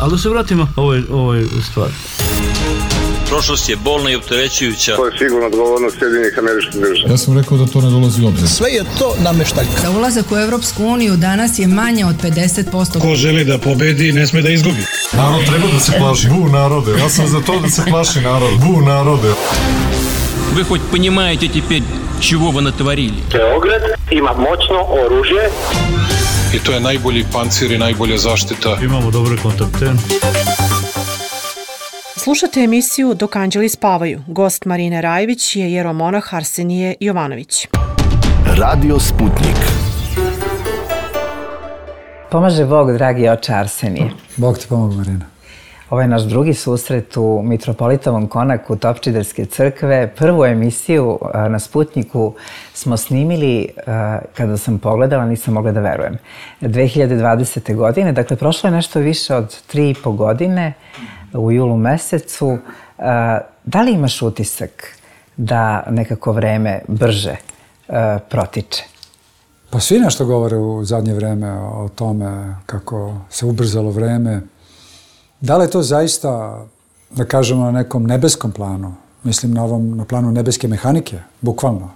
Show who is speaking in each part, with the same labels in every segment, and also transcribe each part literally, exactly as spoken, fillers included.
Speaker 1: Ali da se vratimo ovoj, ovoj stvari.
Speaker 2: Prošlost je bolna i opterećujuća.
Speaker 3: To je sigurno odgovornost Sjedinjenih Američkih Država.
Speaker 4: Ja sam rekao da to ne dolazi u obzir.
Speaker 5: Sve je to nameštaljka.
Speaker 6: Za ulazak u Evropsku uniju danas je manje od pedeset posto.
Speaker 7: Ko želi da pobedi, ne sme da izgubi.
Speaker 4: Narod treba da se plaši. Bu narode. Ja sam za to da se plaši narod. Bu narode.
Speaker 8: Вы хоть понимаете теперь, чего вы натворили?
Speaker 9: Beograd ima moćno oružje.
Speaker 7: I to je najbolji pancir i najbolja zaštita.
Speaker 1: Imamo dobre kontakte.
Speaker 10: Slušate emisiju Dok anđeli spavaju. Gost Marine Rajević je jeromonah Arsenije Jovanović.
Speaker 5: Radio Sputnik.
Speaker 11: Pomaže Bog, dragi oče Arsenije.
Speaker 12: Bog ti pomogu, Marina.
Speaker 11: Ovo je naš drugi susret u Mitropolitovom konaku Topčiderske crkve. Prvu emisiju na Sputniku smo snimili, kada sam pogledala, nisam mogla da verujem, dve hiljade dvadesete. godine. Dakle, prošlo je nešto više od tri i po godine u julu mesecu. Da li imaš utisak da nekako vreme brže protiče?
Speaker 12: Pa svi nešto govore u zadnje vreme o tome kako se ubrzalo vreme. Da li je to zaista, da kažemo, na nekom nebeskom planu? Mislim na ovom, na planu nebeske mehanike, bukvalno.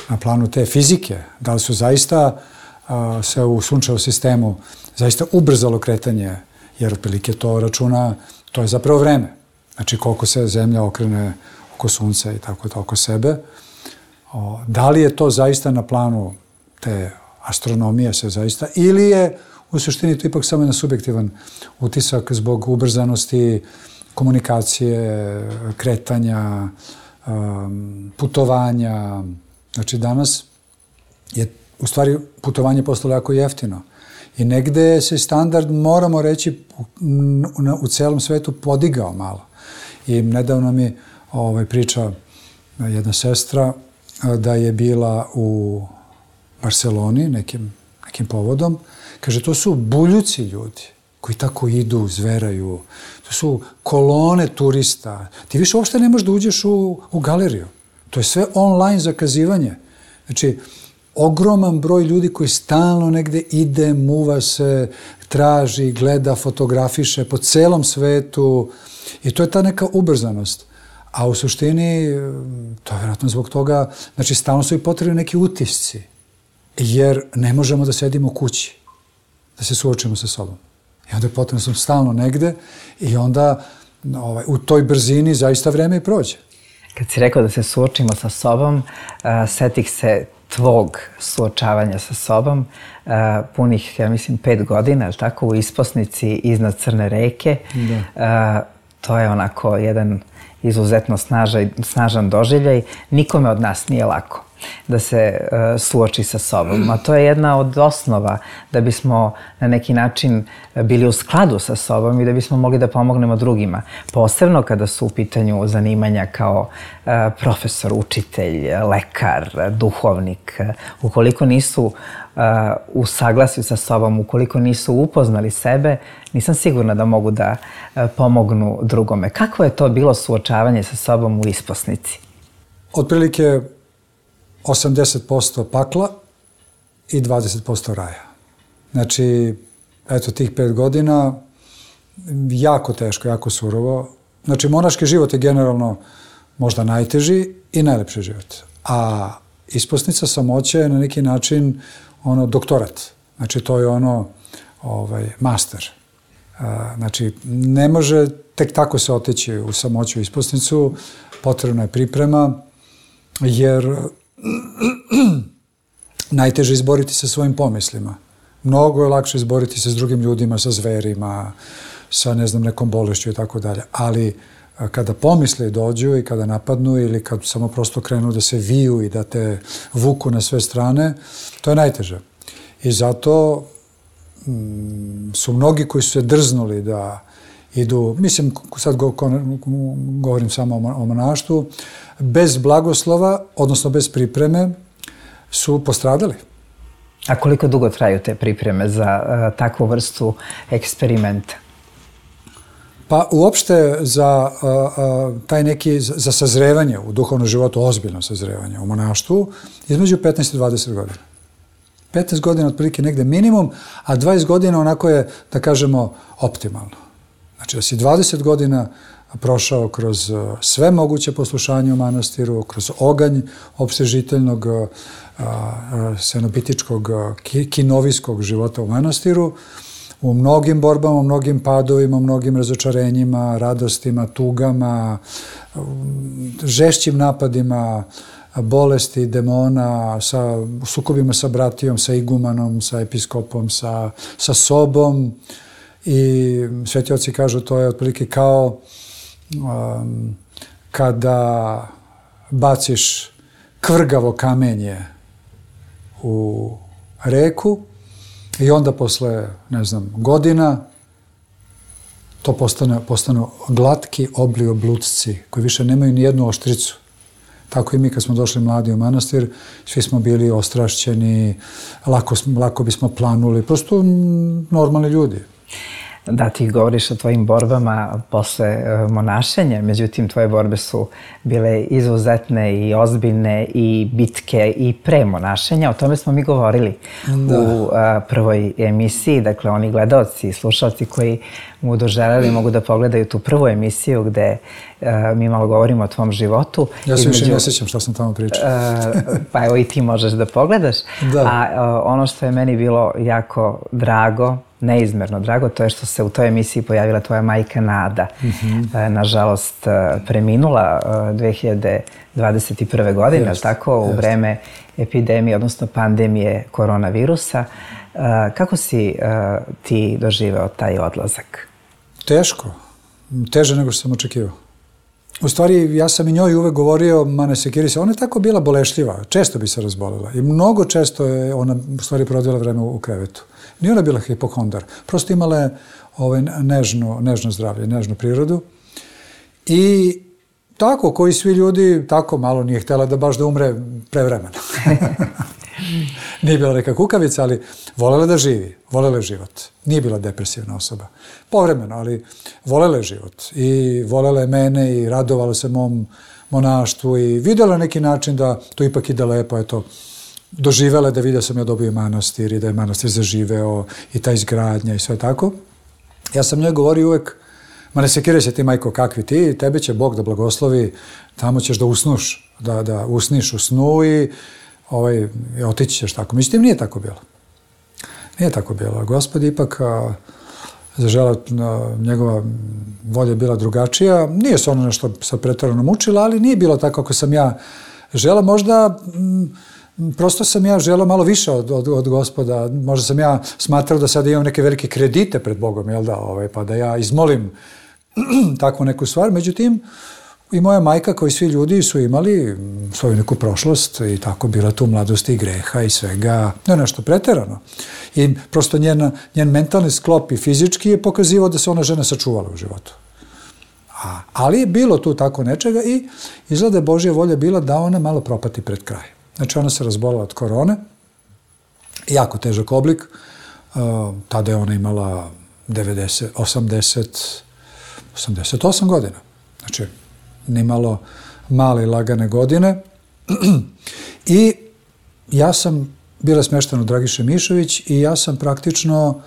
Speaker 12: Na planu te fizike. Da li su zaista a, se u sunčevom sistemu zaista ubrzalo kretanje? Jer otprilike to računa, to je zapravo vreme. Znači koliko se zemlja okrene oko sunca i tako da oko sebe. O, da li je to zaista na planu te astronomije se zaista, ili je u suštini to ipak samo jedan subjektivan utisak zbog ubrzanosti komunikacije, kretanja, putovanja. Znači danas je u stvari putovanje postalo jako jeftino. I negde se standard, moramo reći, u celom svetu podigao malo. I nedavno mi ovaj, priča jedna sestra da je bila u Barceloni nekim, nekim povodom. Kaže, to su buljuci ljudi koji tako idu, zveraju. To su kolone turista. Ti više uopšte ne možeš da uđeš u, u galeriju. To je sve online zakazivanje. Znači, ogroman broj ljudi koji stalno negde ide, muva se, traži, gleda, fotografiše po celom svetu. I to je ta neka ubrzanost. A u suštini, to je vjerojatno zbog toga, znači, stalno su i potrebni neki utisci. Jer ne možemo da sedimo u kući, da se suočimo sa sobom. I onda je potrebno sam stalno negde i onda ovaj, u toj brzini zaista vreme i prođe.
Speaker 11: Kad si rekao da se suočimo sa sobom, uh, setih se tvog suočavanja sa sobom, uh, punih, ja mislim, pet godina, tako, u isposnici iznad Crne reke. Da. Uh, to je onako jedan izuzetno snažan, snažan doživljaj. Nikome od nas nije lako da se uh, suoči sa sobom. A to je jedna od osnova da bismo na neki način bili u skladu sa sobom i da bismo mogli da pomognemo drugima. Posebno kada su u pitanju zanimanja kao uh, profesor, učitelj, lekar, duhovnik. Ukoliko nisu uh, u saglasju sa sobom, ukoliko nisu upoznali sebe, nisam sigurna da mogu da uh, pomognu drugome. Kako je to bilo suočavanje sa sobom u isposnici?
Speaker 12: Otprilike osamdeset posto pakla i dvadeset posto raja. Znači, eto, tih pet godina, jako teško, jako surovo. Znači, monaški život je generalno možda najteži i najlepši život. A isposnica samoće je na neki način ono doktorat. Znači, to je ono ovaj, master. Znači, ne može tek tako se otići u samoću isposnicu, potrebna je priprema, jer najteže izboriti se svojim pomislima. Mnogo je lakše izboriti se s drugim ljudima, sa zverima, sa, ne znam, nekom bolešću i tako dalje. Ali kada pomisli dođu i kada napadnu ili kad samo prosto krenu da se viju i da te vuku na sve strane, to je najteže. I zato mm, su mnogi koji su se drznuli da idu, mislim, sad go, govorim samo o monaštvu, bez blagoslova, odnosno bez pripreme, su postradali.
Speaker 11: A koliko dugo traju te pripreme za uh, takvu vrstu eksperimenta?
Speaker 12: Pa uopšte za uh, uh, taj neki, za, za sazrevanje u duhovnom životu, ozbiljno sazrevanje u monaštvu, između petnaest i dvadeset godina. petnaest godina otprilike negde minimum, a dvadeset godina onako je, da kažemo, optimalno. Znači da si dvadeset godina prošao kroz sve moguće poslušanje u manastiru, kroz oganj opštežiteljnog senobitičkog kinovijskog života u manastiru, u mnogim borbama, u mnogim padovima, u mnogim razočarenjima, radostima, tugama, žešćim napadima, bolesti, demona, sa sukobima sa bratijom, sa igumanom, sa episkopom, sa, sa sobom. I sveti oci kažu to je otprilike kao um, kada baciš kvrgavo kamenje u reku i onda posle, ne znam, godina to postane, postanu glatki obliobludsci koji više nemaju ni jednu oštricu. Tako i mi kad smo došli mladi u manastir, svi smo bili ostrašćeni, lako, lako bismo planuli, prosto normalni ljudi.
Speaker 11: Da, ti govoriš o tvojim borbama posle monašenja, međutim tvoje borbe su bile izuzetne i ozbiljne i bitke i pre monašenja. O tome smo mi govorili da. u a, prvoj emisiji. Dakle, oni gledaoci i slušalci koji budu želeli mogu da pogledaju tu prvu emisiju gde a, mi malo govorimo o tvom životu.
Speaker 12: Ja se više ne sjećam šta sam tamo pričao.
Speaker 11: Pa evo i ti možeš da pogledaš.
Speaker 12: Da.
Speaker 11: A, a ono što je meni bilo jako drago, neizmerno drago, to je što se u toj emisiji pojavila tvoja majka Nada. Mm-hmm. Nažalost, preminula dve hiljade dvadeset prve. godine, jest, tako, u jest. vreme epidemije, odnosno pandemije koronavirusa. Kako si ti doživeo taj odlazak?
Speaker 12: Teško. Teže nego što sam očekivao. U stvari, ja sam i njoj uvek govorio, ma ne sekiri se, ona je tako bila bolešljiva, često bi se razbolila i mnogo često je ona u stvari provodila vreme u krevetu. Nije ona bila hipokondar, prosto imala je ovaj, nežno, nežno zdravlje, nežnu prirodu. I tako, koji svi ljudi, tako malo nije htjela da baš da umre prevremeno. Nije bila neka kukavica, ali volela da živi, volela je život. Nije bila depresivna osoba. Povremeno, ali volela je život. I volela je mene i radovala se mom monaštvu i vidjela neki način da to ipak ide lepo, eto, doživela da vidio sam ja dobio manastir i da je manastir zaživeo i ta izgradnja i sve tako. Ja sam njoj govorio uvek, ma ne sekiraj se ti, majko, kakvi ti, tebe će Bog da blagoslovi, tamo ćeš da usnuš, da, da usniš u snu i ovaj, otići ćeš tako. Međutim, nije tako bilo. Nije tako bilo. Gospod ipak a, zažela, a, njegova volja je bila drugačija. Nije se ono nešto sad pretjerano mučila, ali nije bilo tako kako sam ja žela. Možda m, prosto sam ja želao malo više od, od, od Gospoda. Možda sam ja smatrao da sada imam neke velike kredite pred Bogom, jel da, ovaj, pa da ja izmolim takvu neku stvar. Međutim, i moja majka, kao i svi ljudi, su imali svoju neku prošlost i tako bila tu mladosti i greha i svega, ne nešto pretjerano. I prosto njen, njen mentalni sklop i fizički je pokazivao da se ona žena sačuvala u životu. A, ali je bilo tu tako nečega i izgleda je Božja volja bila da ona malo propati pred kraj. Znači ona se razbolila od korone, jako težak oblik, uh, tada je ona imala devedeset, osamdeset, osamdeset osam godina. Znači, nimalo male i lagane godine. I ja sam bila smeštena u Dragiše Mišović i ja sam praktično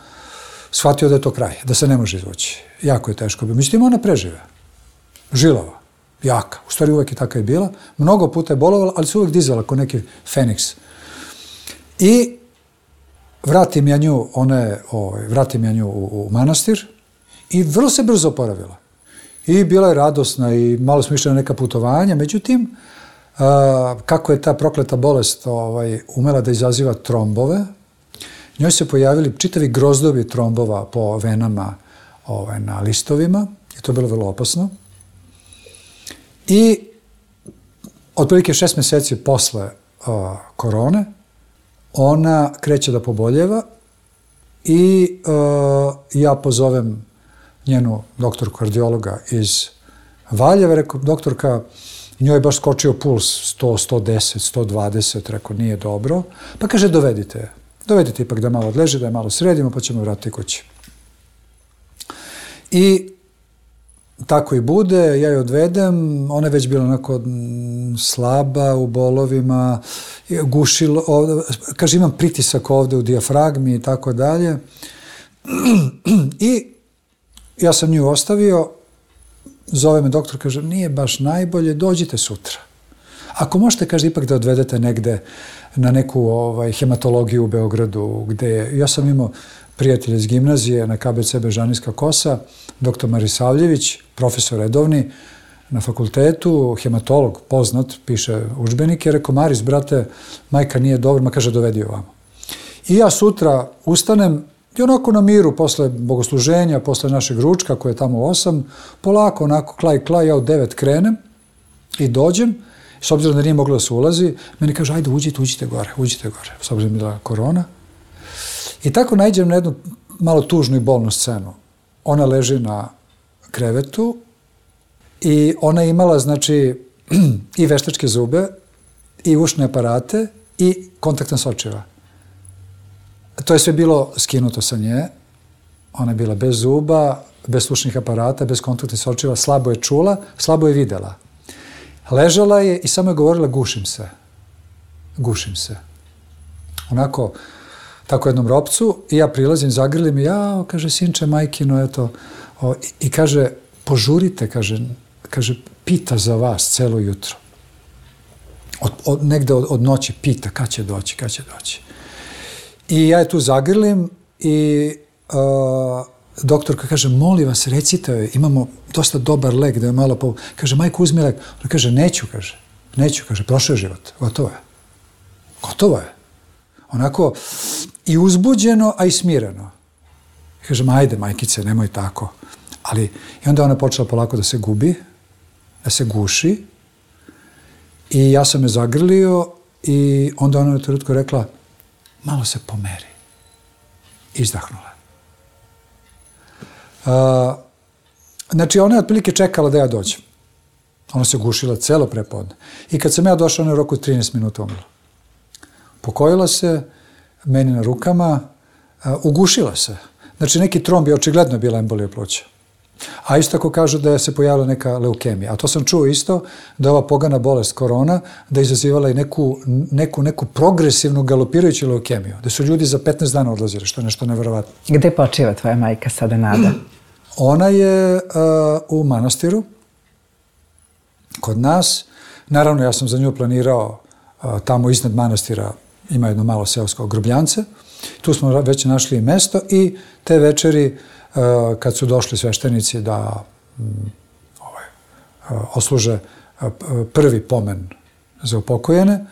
Speaker 12: shvatio da je to kraj, da se ne može izvući. Jako je teško. Međutim, ona prežive. Žilava. Jaka. U stvari uvek i taka je bila. Mnogo puta je bolovala, ali se uvek dizala kao neki feniks. I vratim ja nju, ona je, ovaj, vratim ja nju u, u manastir i vrlo se brzo oporavila. I bila je radosna i malo smo išli na neka putovanja. Međutim, a, kako je ta prokleta bolest ovaj, umela da izaziva trombove, njoj se pojavili čitavi grozdovi trombova po venama ovaj, na listovima i to je bilo vrlo opasno. I otprilike šest mjeseci posle uh, korone ona kreće da poboljeva i uh, ja pozovem njenu doktorku kardiologa iz Valjeva, rekao, doktorka, njoj je baš skočio puls sto, sto deset, sto dvadeset, rekao, nije dobro, pa kaže, dovedite, dovedite ipak da malo odleži, da je malo sredimo, pa ćemo vratiti kući. I tako i bude, ja je odvedem, ona je već bila onako slaba u bolovima, gušilo, ovde, kaže imam pritisak ovde u dijafragmi i tako dalje. I ja sam nju ostavio, zove me doktor, kaže nije baš najbolje, dođite sutra. Ako možete, kaže, ipak da odvedete negde na neku ovaj, hematologiju u Beogradu, gde ja sam imao prijatelj iz gimnazije na K B C Bežanijska kosa, doktor Marisavljević, profesor redovni na fakultetu, hematolog, poznat, piše udžbenike, rekao, Maris, brate, majka nije dobro, ma kaže, dovedi ovamo. I ja sutra ustanem, i onako na miru, posle bogosluženja, posle našeg ručka, koje je tamo u osam, polako, onako, klaj, klaj, ja u devet krenem i dođem, s obzirom da nije moglo da se ulazi, meni kaže, ajde, uđite, uđite gore, uđite gore, s obzirom da je bila korona. I tako naiđem na jednu malo tužnu i bolnu scenu. Ona leži na krevetu i ona je imala, znači, i veštačke zube, i ušne aparate, i kontaktna sočiva. To je sve bilo skinuto sa nje. Ona je bila bez zuba, bez slušnih aparata, bez kontaktnih sočiva, slabo je čula, slabo je videla. Ležala je i samo je govorila, gušim se. Gušim se. Onako, tako jednom ropcu, i ja prilazim, zagrlim i ja, kaže, sinče, majkino, eto, o, i, i kaže, požurite, kaže, kaže, pita za vas celo jutro. Od, od, negde od, od noći pita, kad će doći, kad će doći. I ja je tu zagrlim i uh, doktorka kaže, molim vas, recite joj, imamo dosta dobar lek, da je malo po... Kaže, majko, uzmi lek. Ona kaže, neću, kaže, neću, kaže, prošao je život, gotovo je. Gotovo je. Onako, i uzbuđeno, a i smireno. Kaže, ma ajde, majkice, nemoj tako. Ali, i onda ona počela polako da se gubi, da se guši, i ja sam je zagrlio, i onda ona na trenutku rekla, malo se pomeri. Izdahnula. Uh, znači, ona je otprilike čekala da ja dođem. Ona se gušila celo prepodne. I kad sam ja došao, ona je u roku trinaest minuta umrla. Pokojila se, meni na rukama, uh, ugušila se. Znači, neki tromb je očigledno bila embolija pluća. A isto tako kažu da je se pojavila neka leukemija. A to sam čuo isto, da je ova pogana bolest korona, da je izazivala i neku, neku, neku progresivnu galopirajuću leukemiju. Da su ljudi za petnaest dana odlazili, što je nešto neverovatno.
Speaker 11: Gde počiva tvoja majka sada, Nada?
Speaker 12: Ona je uh, u manastiru, kod nas. Naravno, ja sam za nju planirao uh, tamo iznad manastira, ima jedno malo seosko grobljance. Tu smo već našli i mesto i te večeri, kad su došli sveštenici da ovaj, osluže prvi pomen za upokojene,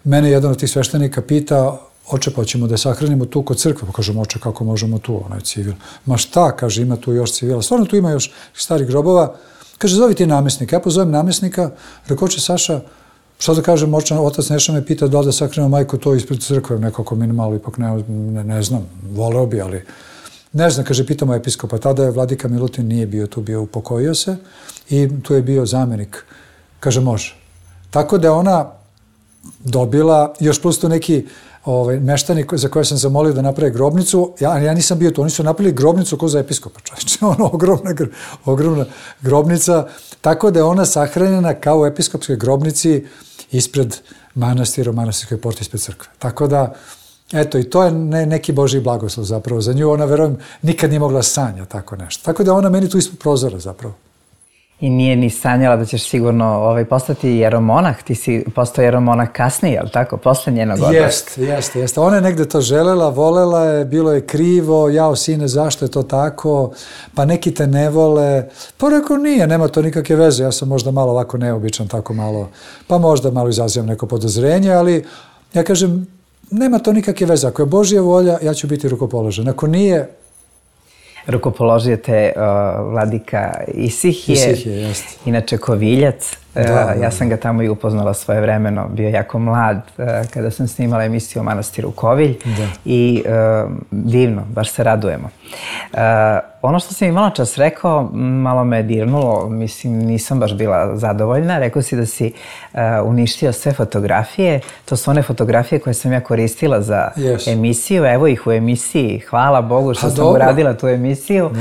Speaker 12: mene jedan od tih sveštenika pita, oče, pa ćemo da je sahranimo tu kod crkve. Pa kažem, oče, kako možemo tu, onaj civil. Ma šta, kaže, ima tu još civila. Stvarno tu ima još starih grobova. Kaže, zovi ti namjesnika. Ja pozovem namjesnika, rekao, oče, Saša, što da kažem, oče, otac Neša me pita da ovde sahranimo majku to ispred crkve, nekako minimalno, ipak ne, ne, ne znam, voleo bi, ali ne znam, kaže, pitamo episkopa. Tada je vladika Milutin nije bio tu, bio upokojio se i tu je bio zamjenik. Kaže, može. Tako da je ona dobila, još plus tu neki ovaj, meštani za koje sam zamolio da naprave grobnicu, ja, ja nisam bio tu, oni su napravili grobnicu ko za episkopa, čovječe, ono, ogromna, ogromna grobnica, tako da je ona sahranjena kao u episkopskoj grobnici ispred manastira, u manastirskoj porti ispred crkve. Tako da, eto, i to je ne, neki Božji blagoslov zapravo za nju, ona, verujem, nikad nije mogla sanja tako nešto. Tako da ona meni tu ispod prozora zapravo.
Speaker 11: I nije ni sanjala da ćeš sigurno ovaj, postati jeromonah, ti si postao jeromonah kasnije, je li tako, posle njenog odlaska?
Speaker 12: Jeste, jeste, jeste. Ona je negde to želela, volela je, bilo je krivo, jao sine, zašto je to tako, pa neki te ne vole, pa rekao nije, nema to nikakve veze, ja sam možda malo ovako neobičan, tako malo, pa možda malo izazivam neko podozrenje, ali ja kažem, nema to nikakve veze, ako je Božja volja, ja ću biti rukopoložen, ako nije,
Speaker 11: rukopoložio te uh, vladika Isihije,
Speaker 12: Isihije, jeste.
Speaker 11: Inače Koviljac. Da, da. Ja sam ga tamo i upoznala svoje vremeno, bio jako mlad kada sam snimala emisiju o manastiru Kovilj da. I uh, divno, baš se radujemo. Uh, ono što sam imala čas rekao, malo me dirnulo, mislim nisam baš bila zadovoljna. Rekao si da si uh, uništio sve fotografije, to su one fotografije koje sam ja koristila za yes. emisiju, evo ih u emisiji, hvala Bogu što pa, sam dobro. uradila tu emisiju. Uh,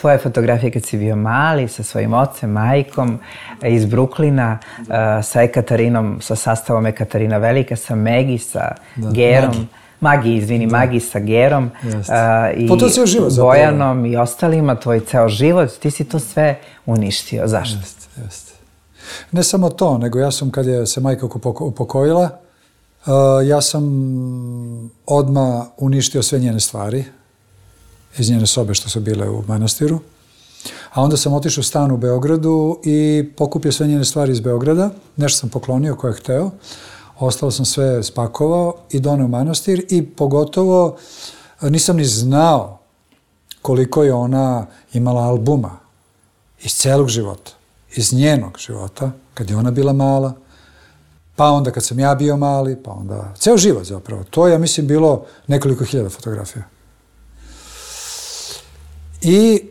Speaker 11: tvoje fotografije kad si bio mali, sa svojim ocem, majkom, iz Bruklina, uh, sa Ekatarinom, sa sastavom Ekatarina Velika, sa Megi, sa da, Gerom, Magi, Magi izvini, da. Magi sa Gerom uh, i život, Bojanom zapravo. I ostalima, tvoj ceo život, ti si to sve uništio. Zašto?
Speaker 12: Jest, jest. Ne samo to, nego ja sam, kad je se majka upokojila, uh, ja sam odmah uništio sve njene stvari iz njene sobe što su bile u manastiru. A onda sam otišao u stan u Beogradu i pokupio sve njene stvari iz Beograda. Nešto sam poklonio koje je hteo. Ostalo sam sve spakovao i doneo u manastir i pogotovo nisam ni znao koliko je ona imala albuma iz celog života, iz njenog života, kad je ona bila mala, pa onda kad sam ja bio mali, pa onda ceo život zapravo. To je, ja mislim, bilo nekoliko hiljada fotografija. I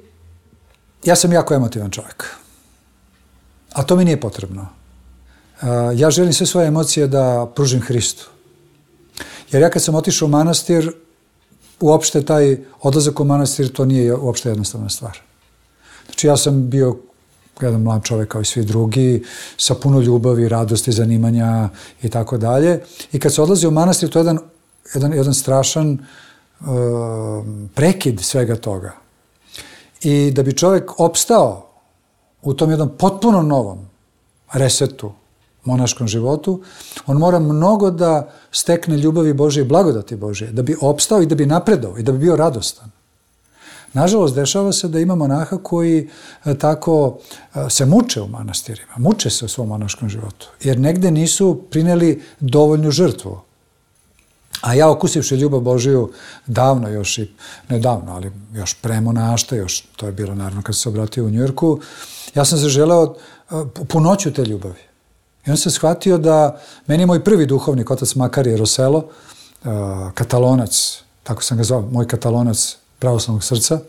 Speaker 12: ja sam jako emotivan čovjek. A to mi nije potrebno. Ja želim sve svoje emocije da pružim Hristu. Jer ja kad sam otišao u manastir, uopšte taj odlazak u manastir, to nije uopšte jednostavna stvar. Znači ja sam bio jedan mlad čovjek kao i svi drugi, sa puno ljubavi, radosti, zanimanja i tako dalje. I kad se odlazi u manastir, to je jedan, jedan, jedan strašan uh, prekid svega toga. I da bi čovjek opstao u tom jednom potpuno novom resetu, monaškom životu, on mora mnogo da stekne ljubavi Božje i blagodati Božje, da bi opstao i da bi napredao i da bi bio radostan. Nažalost, dešava se da ima monaha koji tako se muče u manastirima, muče se u svom monaškom životu, jer negde nisu prineli dovoljnu žrtvu. A ja, okusivši ljubav Božiju davno još i, ne davno, ali još pre monaštva, još, to je bilo naravno kad sam se obratio u Njujorku, ja sam zaželeo punoću te ljubavi. I on se shvatio da meni moj prvi duhovnik, otac Makarije Roselo, katalonac, tako sam ga zvao, moj katalonac pravoslavnog srca,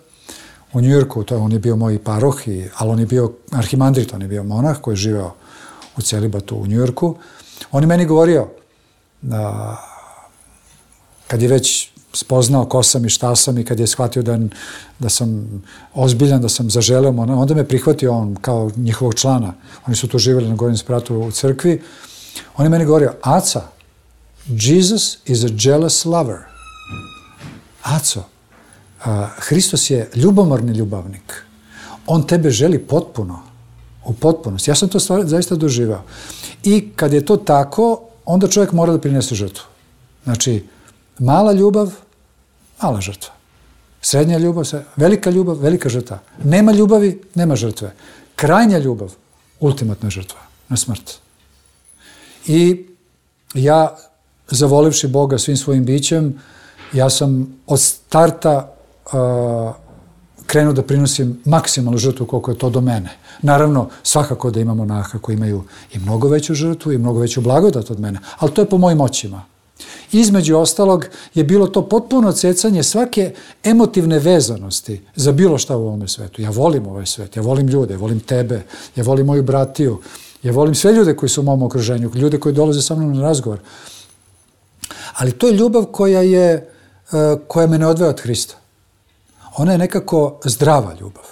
Speaker 12: u Njujorku, to je, on je bio moj paroh, i, ali on je bio arhimandrit, on je bio monah koji je živeo u celibatu u Njujorku. On je meni govorio, da, kad je već spoznao ko sam i šta sam i kad je shvatio da, da sam ozbiljan, da sam zaželeo, onda me prihvatio on kao njihovog člana. Oni su tu živjeli na Gornjem spratu u crkvi. On je meni govorio, Aca, Jesus is a jealous lover. Aco, uh, Hristos je ljubomorni ljubavnik. On tebe želi potpuno, u potpunosti. Ja sam to stvar, zaista doživao. I kad je to tako, onda čovjek mora da prinese žrtvu. Znači, mala ljubav, mala žrtva. Srednja ljubav, velika ljubav, velika žrtva. Nema ljubavi, nema žrtve. Krajnja ljubav, ultimatna žrtva, na smrt. I ja, zavolivši Boga svim svojim bićem, ja sam od starta uh, krenuo da prinosim maksimalnu žrtvu koliko je to do mene. Naravno, svakako da imamo monaha koji imaju i mnogo veću žrtvu i mnogo veću blagodat od mene, ali to je po mojim očima. Između ostalog je bilo to potpuno odsecanje svake emotivne vezanosti za bilo šta u ovome svetu. Ja volim ovaj svet, ja volim ljude, ja volim tebe, ja volim moju bratiju, ja volim sve ljude koji su u mom okruženju, ljude koji dolaze sa mnom na razgovor. Ali to je ljubav koja je, koja me ne odvaja od Hrista. Ona je nekako zdrava ljubav.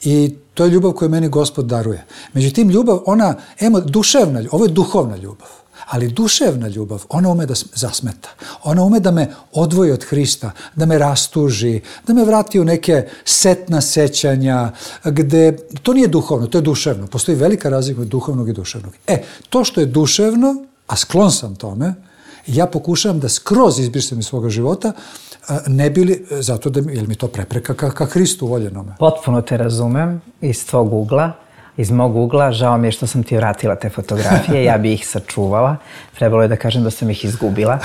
Speaker 12: I to je ljubav koju meni Gospod daruje. Međutim, ljubav, ona, emo, duševna, ovo je duhovna ljubav. Ali duševna ljubav, ona ume da zasmeta. Ona ume da me odvoji od Hrista, da me rastuži, da me vrati u neke setna sećanja, gde to nije duhovno, to je duševno. Postoji velika razlika od duhovnog i duševnog. E, to što je duševno, a sklon sam tome, ja pokušavam da skroz izbrišem iz svoga života, ne bili, zato da mi, jer mi to prepreka ka, ka Hristu voljenome.
Speaker 11: Potpuno te razumem iz tvog ugla, iz mog ugla. Žao mi je što sam ti vratila te fotografije, ja bi ih sačuvala. Trebalo je da kažem da sam ih izgubila,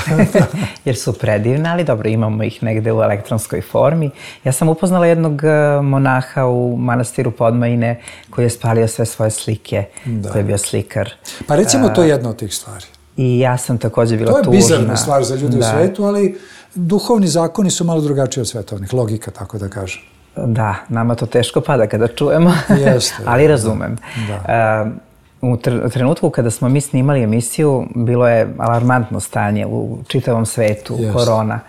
Speaker 11: jer su predivne, ali dobro, imamo ih negde u elektronskoj formi. Ja sam upoznala jednog monaha u manastiru Podmajine koji je spalio sve svoje slike, koji je bio slikar.
Speaker 12: Pa recimo to je jedna od tih stvari.
Speaker 11: I ja sam također bila tužna.
Speaker 12: To je bizarna stvar za ljude u svetu, ali duhovni zakoni su malo drugačiji od svetovnih, logika, tako da kažem.
Speaker 11: Da, nama to teško pada kada čujemo, ali razumem. U trenutku kada smo mi snimali emisiju, bilo je alarmantno stanje u čitavom svetu, korona,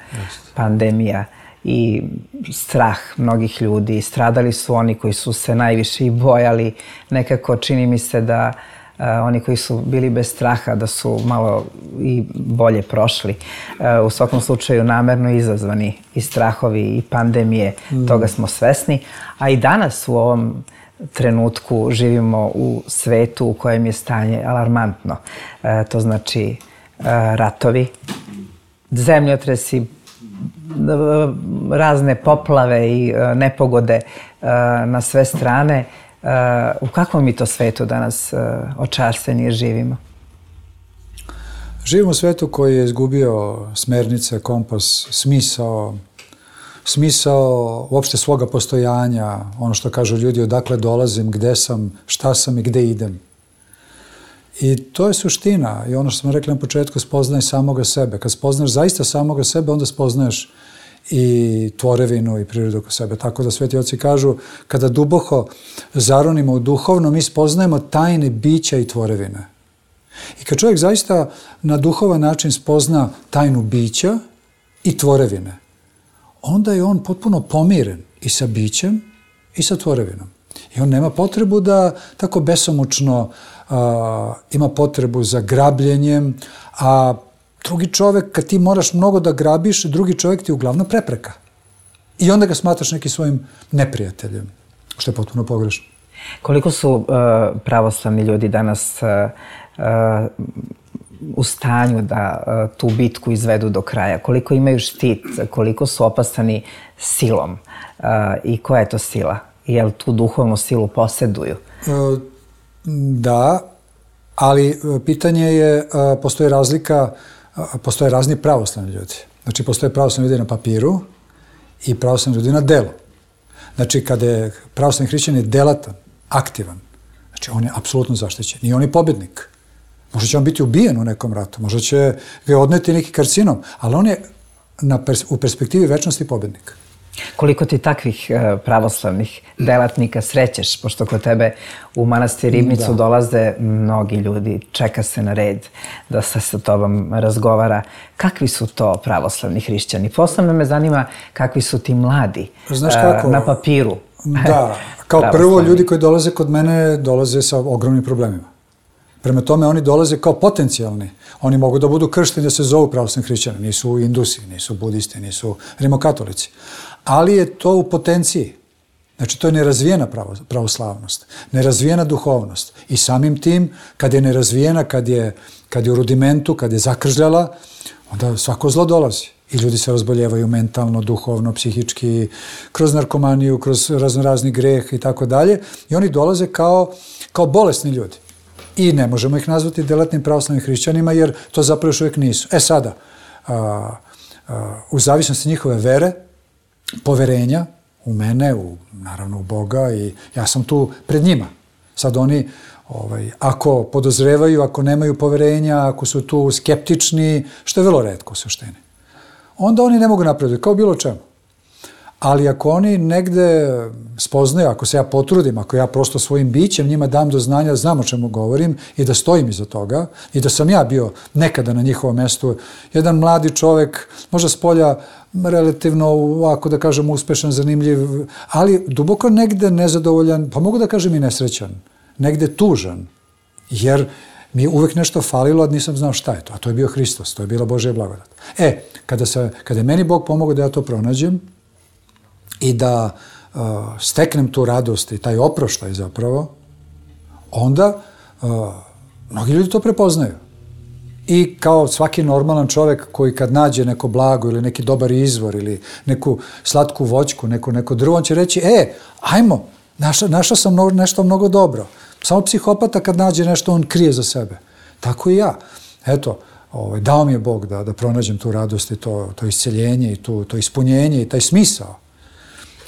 Speaker 11: pandemija i strah mnogih ljudi. Stradali su oni koji su se najviše i bojali. Nekako čini mi se da oni koji su bili bez straha da su malo i bolje prošli. U svakom slučaju namerno izazvani i strahovi i pandemije, toga smo svesni. A i danas u ovom trenutku živimo u svetu u kojem je stanje alarmantno. To znači ratovi, zemljotresi, razne poplave i nepogode na sve strane. U kakvom mi to svetu danas očarstvenije živimo?
Speaker 12: Živimo u svetu koji je izgubio smernice, kompas, smisao, smisao uopšte svoga postojanja, ono što kažu ljudi, odakle dolazim, gde sam, šta sam i gde idem. I to je suština. I ono što smo rekli na početku, spoznaj samoga sebe. Kad spoznaš zaista samoga sebe, onda spoznaješ i tvorevinu i prirodu oko sebe. Tako da sveti oci kažu, kada duboko zaronimo u duhovno, mi spoznajemo tajne bića i tvorevine. I kad čovjek zaista na duhovan način spozna tajnu bića i tvorevine, onda je on potpuno pomiren i sa bićem i sa tvorevinom. I on nema potrebu da tako besomučno uh, ima potrebu za grabljenjem, a drugi čovjek, kad ti moraš mnogo da grabiš, drugi čovjek ti je uglavnom prepreka. I onda ga smatraš nekim svojim neprijateljem, što je potpuno pogrešno.
Speaker 11: Koliko su uh, pravoslavni ljudi danas uh, uh, u stanju da uh, tu bitku izvedu do kraja? Koliko imaju štit? Koliko su opasani silom? Uh, I koja je to sila? Jel tu duhovnu silu posjeduju?
Speaker 12: Uh, da, ali pitanje je, uh, postoji razlika, uh, postoje razni pravoslavni ljudi. Znači, postoje pravoslavni ljudi na papiru i pravoslavni ljudi na delu. Znači, kada je pravoslavni hrišćanin delatan, aktivan, znači on je apsolutno zaštićen. I on je pobjednik. Možda će on biti ubijen u nekom ratu, možda će ga odneti neki karcinom, ali on je na pers u perspektivi večnosti pobjednik.
Speaker 11: Koliko ti takvih uh, pravoslavnih delatnika srećeš, pošto kod tebe u manastir Ribnicu da. dolaze mnogi ljudi, čeka se na red da se sa tobom razgovara. Kakvi su to pravoslavni hrišćani? Posebno me zanima kakvi su ti mladi.
Speaker 12: Znaš kako?
Speaker 11: Uh, na papiru.
Speaker 12: Da, kao prvo ljudi koji dolaze kod mene dolaze sa ogromnim problemima. Prema tome oni dolaze kao potencijalni. Oni mogu da budu kršteni da se zovu pravoslavni hrišćani. Nisu indusi, nisu budisti, nisu rimokatolici. Ali je to u potenciji. Znači, to je nerazvijena pravoslavnost, nerazvijena duhovnost. I samim tim, kad je nerazvijena, kad je, kad je u rudimentu, kad je zakržljala, onda svako zlo dolazi. I ljudi se razboljevaju mentalno, duhovno, psihički, kroz narkomaniju, kroz raznorazni greh i tako dalje. I oni dolaze kao, kao bolesni ljudi. I ne možemo ih nazvati delatnim pravoslavnim hrišćanima, jer to zapravo još uvijek nisu. E sada, a, a, u zavisnosti njihove vere, poverenja u mene, u, naravno u Boga, i ja sam tu pred njima. Sad oni, ovaj, ako podozrevaju, ako nemaju poverenja, ako su tu skeptični, što je vrlo retko u suštini, onda oni ne mogu naprediti, kao bilo čemu. Ali ako oni negde spoznaju, ako se ja potrudim, ako ja prosto svojim bićem njima dam do znanja, znam o čemu govorim i da stojim iza toga i da sam ja bio nekada na njihovom mestu, jedan mladi čovjek, možda s polja relativno, ako da kažem, uspešan, zanimljiv, ali duboko negde nezadovoljan, pa mogu da kažem i nesrećan, negde tužan, jer mi je uvek nešto falilo, a nisam znao šta je to, a to je bio Hristos, to je bila Božja blagodat. E, kada, se, kada je meni Bog pomogao da ja to pronađem i da uh, steknem tu radost i taj oproštaj zapravo, onda uh, mnogi ljudi to prepoznaju. I kao svaki normalan čovjek koji kad nađe neko blago ili neki dobar izvor ili neku slatku voćku, neko, neko drvo, on će reći, e, ajmo, našao, našao sam mnogo, nešto mnogo dobro. Samo psihopata kad nađe nešto, on krije za sebe. Tako i ja. Eto, ovaj, dao mi je Bog da, da pronađem tu radost i to, to isceljenje i tu, to ispunjenje i taj smisao.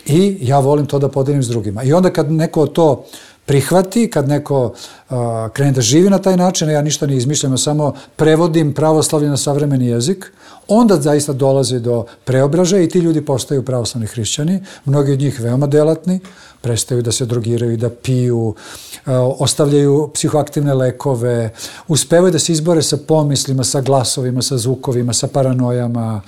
Speaker 12: I ja volim to da podelim s drugima. I onda kad neko to prihvati, kad neko uh, krene da živi na taj način, ja ništa ne izmišljam, ja samo prevodim pravoslavlje na savremeni jezik, onda zaista dolazi do preobražaja i ti ljudi postaju pravoslavni hrišćani, mnogi od njih veoma delatni, prestaju da se drogiraju i da piju, uh, ostavljaju psihoaktivne lekove, uspevaju da se izbore sa pomislima, sa glasovima, sa zvukovima, sa paranojama,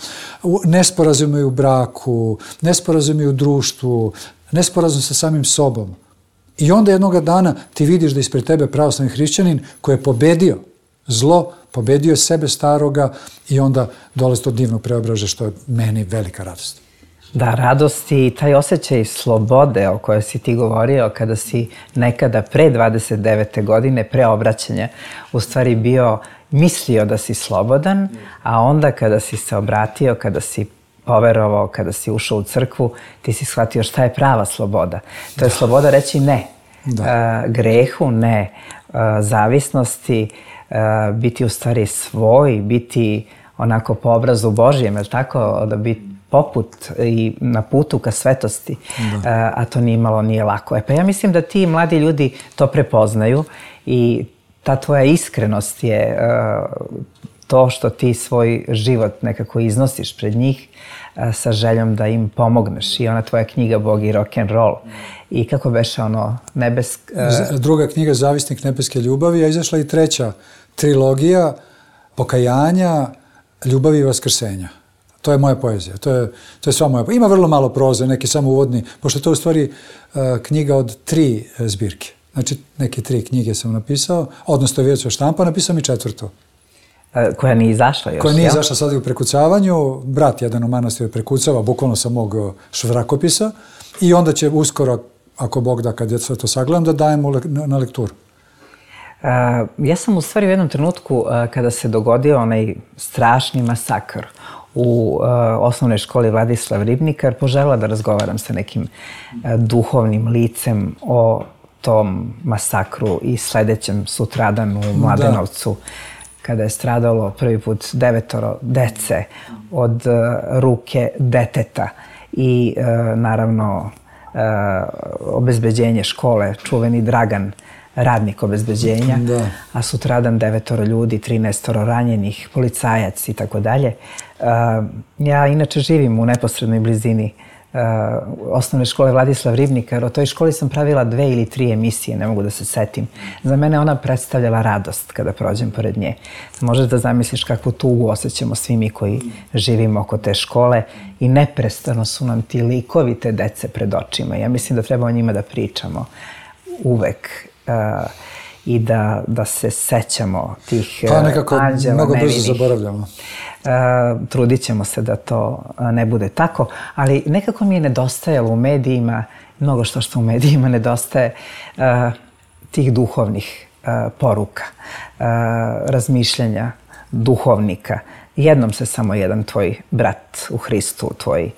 Speaker 12: nesporazumi u braku, nesporazumi u društvu, nesporazum sa samim sobom. I onda jednoga dana ti vidiš da ispred tebe pravoslavni hrišćanin koji je pobedio zlo, pobedio je sebe staroga i onda dolazi to divno preobražaja što je meni velika radost.
Speaker 11: Da, radost i taj osjećaj slobode o kojoj si ti govorio kada si nekada pre dvadeset devete godine, pre obraćanja, u stvari bio, mislio da si slobodan, a onda kada si se obratio, kada si poverovao, kada si ušao u crkvu, ti si shvatio šta je prava sloboda. To je sloboda reći ne. Da. Grehu, ne. Zavisnosti, biti u stvari svoj, biti onako po obrazu Božjem, je li tako? Da biti poput i na putu ka svetosti, da. A to nije malo, nije lako. E pa ja mislim da ti mladi ljudi to prepoznaju i ta tvoja iskrenost je to što ti svoj život nekako iznosiš pred njih sa željom da im pomogneš. I ona tvoja knjiga Bog i rock'n'roll. I kako beše ono nebesk...
Speaker 12: Druga knjiga Zavisnik nebeske ljubavi, a izašla i treća trilogija pokajanja, ljubavi i vaskrsenja. To je moja poezija. To je, to je sva moja poezija. Ima vrlo malo proze, neki samo uvodni, pošto to je u stvari uh, knjiga od tri uh, zbirke. Znači, neke tri knjige sam napisao, odnosno je već štampa, napisao mi četvrtu.
Speaker 11: Koja nije izašla još,
Speaker 12: Koja nije izašla sad u prekucavanju. Brat jedan u manastiru prekucava, bukvalno sa mog švrakopisa i onda će uskoro, ako Bog da, kad ja sve to sagledam, da dajemo na lekturu.
Speaker 11: Uh, ja sam u stvari u jednom trenutku, uh, kada se dogodio onaj strašni masakr u uh, osnovnoj školi Vladislav Ribnikar, poželjela da razgovaram sa nekim uh, duhovnim licem o tom masakru i sledećem sutradan u Mladenovcu. Da. Kada je stradalo prvi put devetoro dece od uh, ruke deteta i uh, naravno uh, obezbeđenje škole, čuveni Dragan, radnik obezbeđenja, da. A sutradan devetoro ljudi, trinaestoro ranjenih, policajac i tako dalje. Ja inače živim u neposrednoj blizini uh, osnovne škole Vladislav Ribnikar. O toj školi sam pravila dve ili tri emisije, ne mogu da se setim. Za mene ona predstavljala radost kada prođem pored nje. Možeš da zamisliš kakvu tugu osjećamo svi mi koji živimo oko te škole i neprestano su nam ti likovi te dece pred očima. Ja mislim da treba o njima da pričamo uvek. Uh, i da, da se sećamo tih
Speaker 12: pa nekako
Speaker 11: anđela
Speaker 12: mnogo
Speaker 11: nevinih.
Speaker 12: brzo zaboravljamo.
Speaker 11: Uh, trudit ćemo se da to ne bude tako, ali nekako mi je nedostajalo u medijima, mnogo što što u medijima nedostaje, uh, tih duhovnih uh, poruka, uh, razmišljanja duhovnika. Jednom se samo jedan tvoj brat u Hristu, tvoj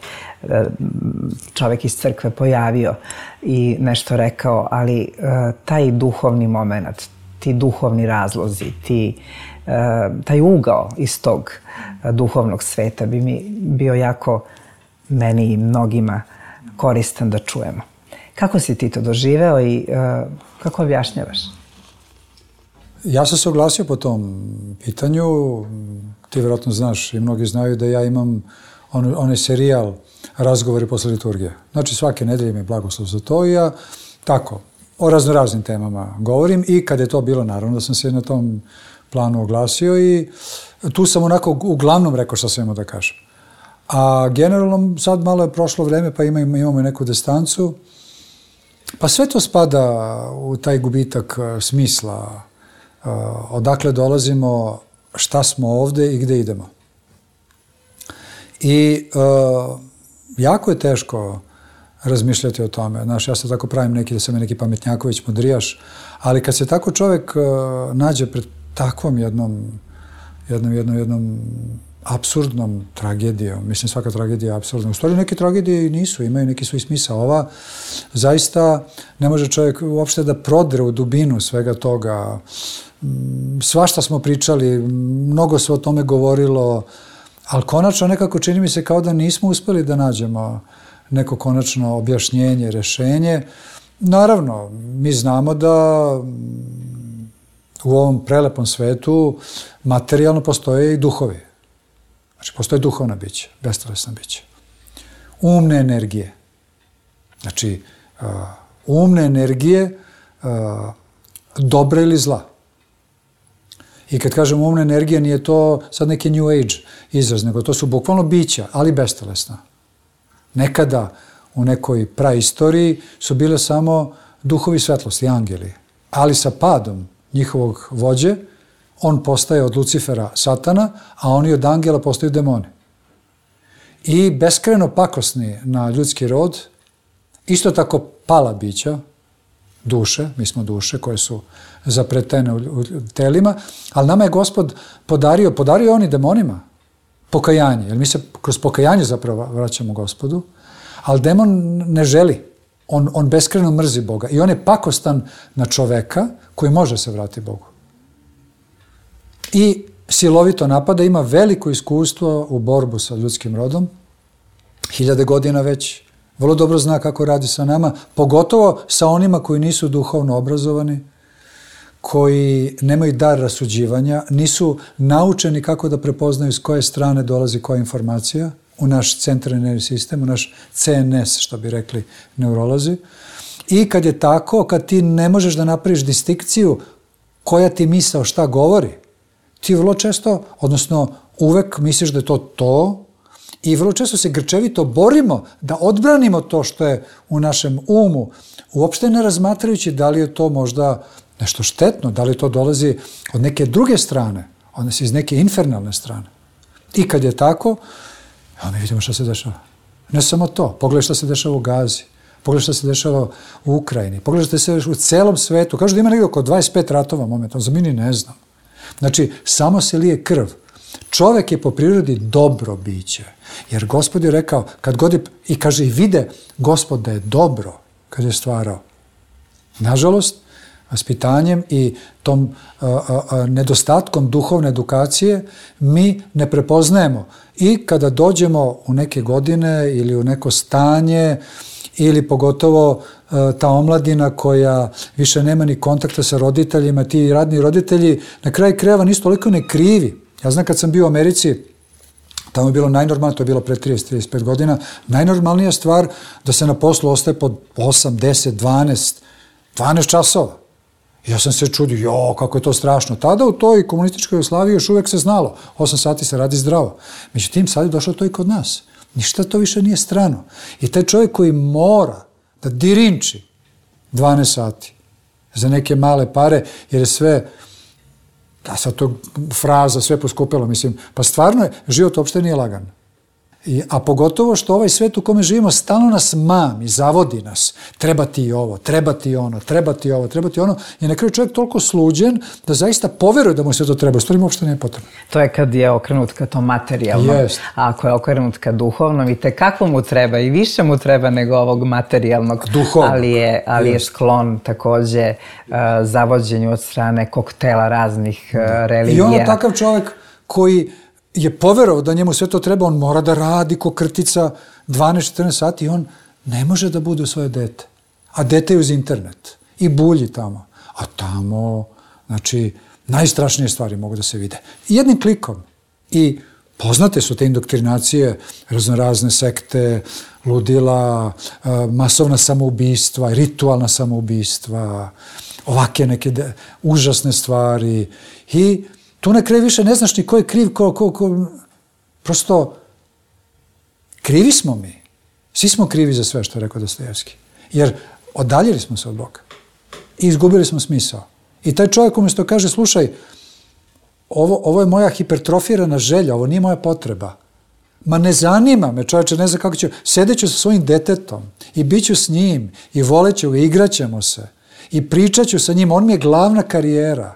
Speaker 11: čovjek iz crkve pojavio i nešto rekao, ali uh, taj duhovni moment, ti duhovni razlozi, ti, uh, taj ugao iz tog uh, duhovnog sveta bi mi bio jako meni i mnogima koristan da čujemo. Kako si ti to doživeo i uh, kako objašnjavaš?
Speaker 12: Ja sam se oglasio po tom pitanju. Ti vjerojatno znaš i mnogi znaju da ja imam on, onaj serijal Razgovori posle liturgije. Znači svake nedelje mi je blagoslov za to i ja tako, o razno raznim temama govorim i kad je to bilo, naravno da sam se na tom planu oglasio i tu sam onako uglavnom rekao što sam imao da kažem. A generalno sad malo je prošlo vreme pa imamo, imamo neku distancu. Pa sve to spada u taj gubitak smisla. Odakle dolazimo, šta smo ovde i gde idemo. I uh, jako je teško razmišljati o tome. Znaš, ja se tako pravim neki da sam je neki pametnjaković, modrijaš, ali kad se tako čovjek uh, nađe pred takvom jednom, jednom, jednom, jednom apsurdnom tragedijom. Mislim, svaka tragedija je apsurdna. U stvari, neke tragedije i nisu, imaju neki svoj smisao. Ova, zaista, ne može čovjek uopšte da prodre u dubinu svega toga. Svašta smo pričali, mnogo se o tome govorilo, ali konačno nekako čini mi se kao da nismo uspeli da nađemo neko konačno objašnjenje, rešenje. Naravno, mi znamo da u ovom prelepom svetu materijalno postoje i duhovi. Znači, postoje duhovna bića, bestelesna bića. Umne energije. Znači, uh, umne energije uh, dobra ili zla. I kad kažem umna energija, nije to sad neki New Age izraz, nego to su bukvalno bića, ali bestelesna. Nekada u nekoj praistoriji su bile samo duhovi svetlosti, angeli. Ali sa padom njihovog vođe, on postaje od Lucifera satana, a oni od angela postaju demoni. I beskrajno pakosni na ljudski rod, isto tako pala bića, duše, mi smo duše koje su zapretene u telima, ali nama je Gospod podario, podario on i demonima pokajanje, jer mi se kroz pokajanje zapravo vraćamo Gospodu, ali demon ne želi, on, on beskrajno mrzi Boga i on je pakostan na čoveka koji može se vratiti Bogu. I silovito napada, ima veliko iskustvo u borbu sa ljudskim rodom, hiljade godina već, vrlo dobro zna kako radi sa nama, pogotovo sa onima koji nisu duhovno obrazovani, koji nemaju dar rasuđivanja, nisu naučeni kako da prepoznaju s koje strane dolazi koja informacija u naš centralni nervni sistem, u naš C N S, što bi rekli neurolozi. I kad je tako, kad ti ne možeš da napraviš distinkciju koja ti misao šta govori, ti vrlo često, odnosno uvek misliš da je to to, i vrlo često se grčevito borimo da odbranimo to što je u našem umu, uopšte ne razmatrajući da li je to možda nešto štetno, da li to dolazi od neke druge strane, odnosno iz neke infernalne strane. I kad je tako, evo mi vidimo šta se dešava. Ne samo to, pogledaj šta se dešava u Gazi, pogledaj šta se dešava u Ukrajini, pogledaj šta se dešava u celom svetu. Kažu da ima negdje oko dvadeset pet ratova momentalno, za mini ne znam. Znači, samo se lije krv. Čovek je po prirodi dobro biće. Jer Gospod je rekao, kad god je, i kaže i vide Gospod da je dobro kad je stvarao. Nažalost, vaspitanjem i tom a, a, a, nedostatkom duhovne edukacije mi ne prepoznajemo. I kada dođemo u neke godine ili u neko stanje ili pogotovo a, ta omladina koja više nema ni kontakta sa roditeljima, ti radni roditelji na kraju krajeva nisu toliko ne krivi. Ja znam kad sam bio u Americi, tamo je bilo najnormalnije, to je bilo pre trideset do trideset pet godina, najnormalnija stvar da se na poslu ostaje pod osam, deset, dvanaest, dvanaest časova. Ja sam se čudio, jo, kako je to strašno. Tada u toj komunističkoj Jugoslaviji još uvek se znalo, osam sati se radi zdravo. Međutim, sad je došlo to i kod nas. Ništa to više nije strano. I taj čovjek koji mora da dirinči dvanaest sati za neke male pare, jer je sve, da sad to fraza, sve poskupilo, mislim, pa stvarno je, život uopšte nije lagan. I, a pogotovo što ovaj svet u kome živimo stalno nas mami, zavodi nas. Treba ti ovo, treba ti ono, treba ti ovo, treba ti ono. I na kraju čovjek toliko sluđen da zaista poveruje da mu se to treba. U stvari mu uopšte nije potrebno.
Speaker 11: To je kad je okrenut ka tom materijalnom.
Speaker 12: Jest.
Speaker 11: A ako je okrenut ka duhovnom, i tekako mu treba, i više mu treba nego ovog materijalnog.
Speaker 12: Duhovnog.
Speaker 11: Ali je, ali je sklon takođe uh, zavođenju od strane koktela raznih uh, religija.
Speaker 12: I ono takav čovjek koji je poverovao da njemu sve to treba, on mora da radi ko krtica dvanaest do četrnaest sati i on ne može da bude svoje dete. A dete je uz internet i bulji tamo. A tamo, znači, najstrašnije stvari mogu da se vide. Jednim klikom. I poznate su te indoktrinacije, raznorazne sekte, ludila, masovna samoubistva, ritualna samoubistva, ovake neke de, užasne stvari. I tu na kraju više ne znaš ni ko je kriv, ko, ko, ko... prosto krivi smo mi. Svi smo krivi za sve što je rekao Dostojevski. Jer odaljili smo se od Boga. I izgubili smo smisao. I taj čovjek umjesto kaže, slušaj, ovo, ovo je moja hipertrofirana želja, ovo nije moja potreba. Ma ne zanima me, čovječe, ne znam kako ću, sedeću sa svojim detetom i bit ću s njim i voleću ga, igraćemo se i pričat ću sa njim, on mi je glavna karijera.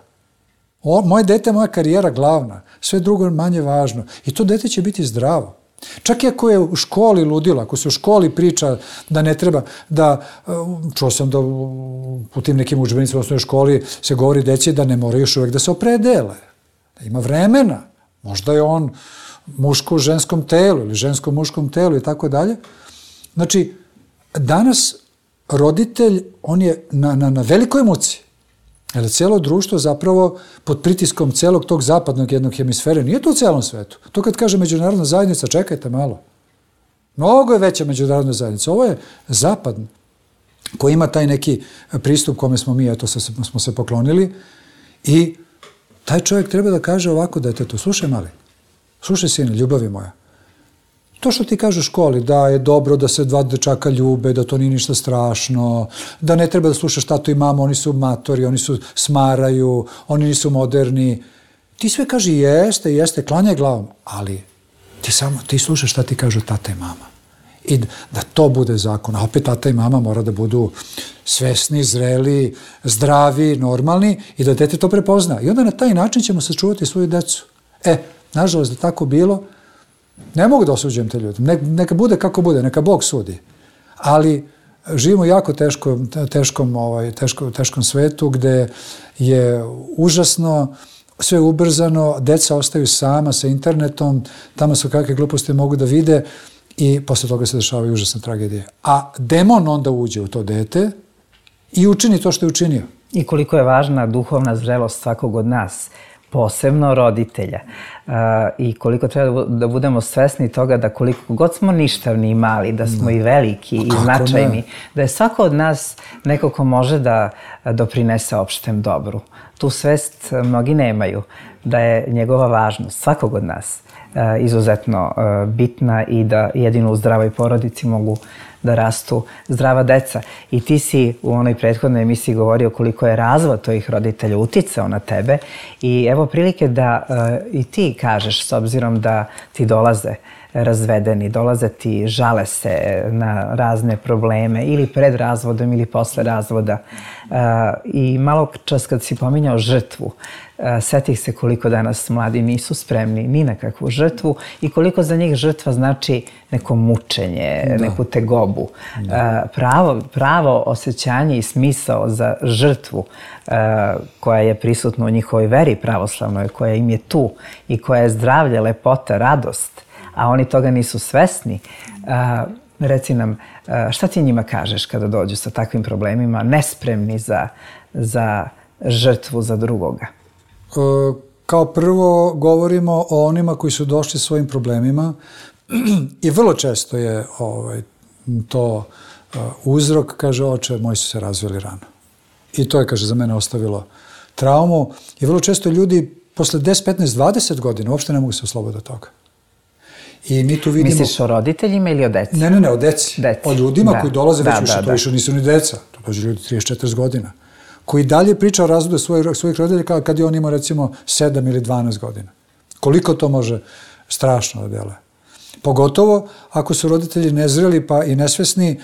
Speaker 12: O, moje dete je moja karijera glavna, sve drugo je manje važno. I to dete će biti zdravo. Čak i ako je u školi ludilo, ako se u školi priča da ne treba, da, čuo sam da u tim nekim udžbenicima u osnovnoj školi se govori deci da ne moraju još uvek da se opredele, da ima vremena, možda je on muško u ženskom telu ili žensko u muškom telu i tako dalje. Znači, danas roditelj, on je na, na, na velikoj muci, jer cijelo društvo zapravo pod pritiskom celog tog zapadnog jednog hemisfere, nije to u celom svetu. To kad kaže međunarodna zajednica, čekajte malo. Mnogo je veća međunarodna zajednica. Ovo je zapad koji ima taj neki pristup kome smo mi, eto, smo se poklonili i taj čovjek treba da kaže ovako detetu, slušaj mali, slušaj sine, ljubavi moja, to što ti kažu u školi, da je dobro da se dva dečaka ljube, da to nije ništa strašno, da ne treba da slušaš tato i mamu, oni su matori, oni su smaraju, oni nisu moderni. Ti sve kaži jeste, jeste, klanjaj glavom, ali ti samo, ti slušaš šta ti kažu tata i mama. I da to bude zakon. A opet tata i mama mora da budu svesni, zreli, zdravi, normalni i da dete to prepozna. I onda na taj način ćemo sačuvati svoju decu. E, nažalost, da tako bilo, ne mogu da osuđujem te ljudi. Ne, neka bude kako bude, neka Bog sudi. Ali živimo u jako teško, teškom, ovaj, teško, teškom svetu gde je užasno sve ubrzano, deca ostaju sama sa internetom, tamo su kakve gluposti mogu da vide i posle toga se dešavaju užasne tragedije. A demon onda uđe u to dete i učini to što je učinio.
Speaker 11: I koliko je važna duhovna zrelost svakog od nas, posebno roditelja. Uh, I koliko treba da budemo svesni toga da koliko god smo ništavni i mali, da smo no. i veliki i značajni, ne? Da je svako od nas neko ko može da doprinese opštem dobru. Tu svest mnogi nemaju, da je njegova važnost svakog od nas uh, izuzetno uh, bitna i da jedino u zdravoj porodici mogu da rastu zdrava deca. I ti si u onoj prethodnoj emisiji govorio koliko je razvod tvojih roditelja uticao na tebe i evo prilike da uh, i ti kažeš, s obzirom da ti dolaze razvedeni, dolaze ti, žale se na razne probleme ili pred razvodom ili posle razvoda. Uh, I malo čas kad si pominjao žrtvu, uh, setih se koliko danas mladi nisu spremni ni na kakvu žrtvu i koliko za njih žrtva znači neko mučenje, da. neku tegobu. Uh, pravo, pravo osjećanje i smisao za žrtvu uh, koja je prisutna u njihovoj veri pravoslavnoj, koja im je tu i koja je zdravlje, lepota, radost, a oni toga nisu svesni. Uh, reci nam, uh, šta ti njima kažeš kada dođu sa takvim problemima, nespremni za, za žrtvu za drugoga?
Speaker 12: Uh, kao prvo govorimo o onima koji su došli svojim problemima i vrlo često je ovaj, to uh, uzrok, kaže oče, moji su se razveli rano. I to je, kaže, za mene ostavilo traumu i vrlo često ljudi posle deset, petnaest, dvadeset godina uopšte ne mogu se osloboditi od toga. I mi tu vidimo...
Speaker 11: Misliš o roditeljima ili o deci?
Speaker 12: Ne, ne, ne, o deci.
Speaker 11: deci.
Speaker 12: O ljudima da. koji dolaze, već
Speaker 11: da,
Speaker 12: više,
Speaker 11: da,
Speaker 12: to
Speaker 11: da.
Speaker 12: više nisu ni deca. To dođe ljudi trideset četrdeset godina. Koji dalje priča o razvodu svojih, svojih roditelja kad je on imao recimo sedam ili dvanaest godina. Koliko to može strašno da deluje. Pogotovo ako su roditelji nezreli pa i nesvesni,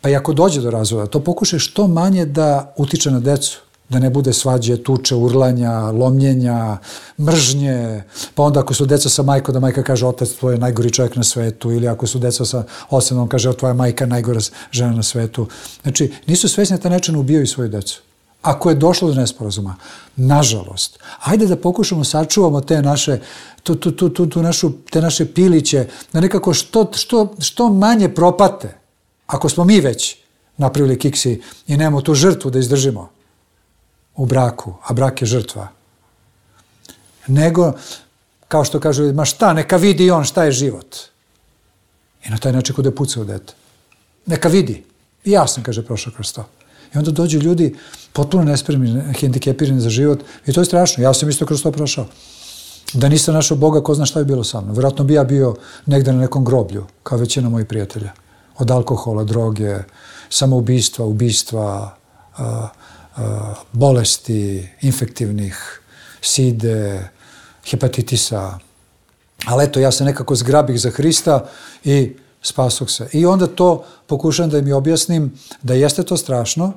Speaker 12: pa i ako dođe do razvoda, to pokušaj što manje da utiče na decu. Da ne bude svađe, tuče, urlanja, lomljenja, mržnje, pa onda ako su deca sa majkom, da majka kaže otac tvoj je najgori čovjek na svetu, ili ako su deca sa ocem, on kaže tvoja majka najgora žena na svetu. Znači, nisu svesni na taj način ubijaju svoju decu. Ako je došlo do nesporazuma, nažalost, ajde da pokušamo sačuvamo te naše, tu, tu, tu, tu, tu našu, te naše piliće, da nekako što, što, što manje propate, ako smo mi već napravili kiksi i nemamo tu žrtvu da izdržimo u braku, a brak je žrtva. Nego, kao što kažu, ma šta, neka vidi on šta je život. I na taj način kude puca u dete. Neka vidi. I ja sam, kaže, prošao kroz to. I onda dođu ljudi potpuno nespremni, hendikepirani za život. I to je strašno. Ja sam isto kroz to prošao. Da nisam našao Boga, ko zna šta je bilo sa mnom. Vjerojatno bi ja bio negde na nekom groblju, kao većina mojih prijatelja. Od alkohola, droge, samoubistva, ubistva, a, a, bolesti, infektivnih, side, hepatitisa. Ali eto, ja se nekako zgrabih za Hrista i spasog se. I onda to pokušam da im objasnim da jeste to strašno,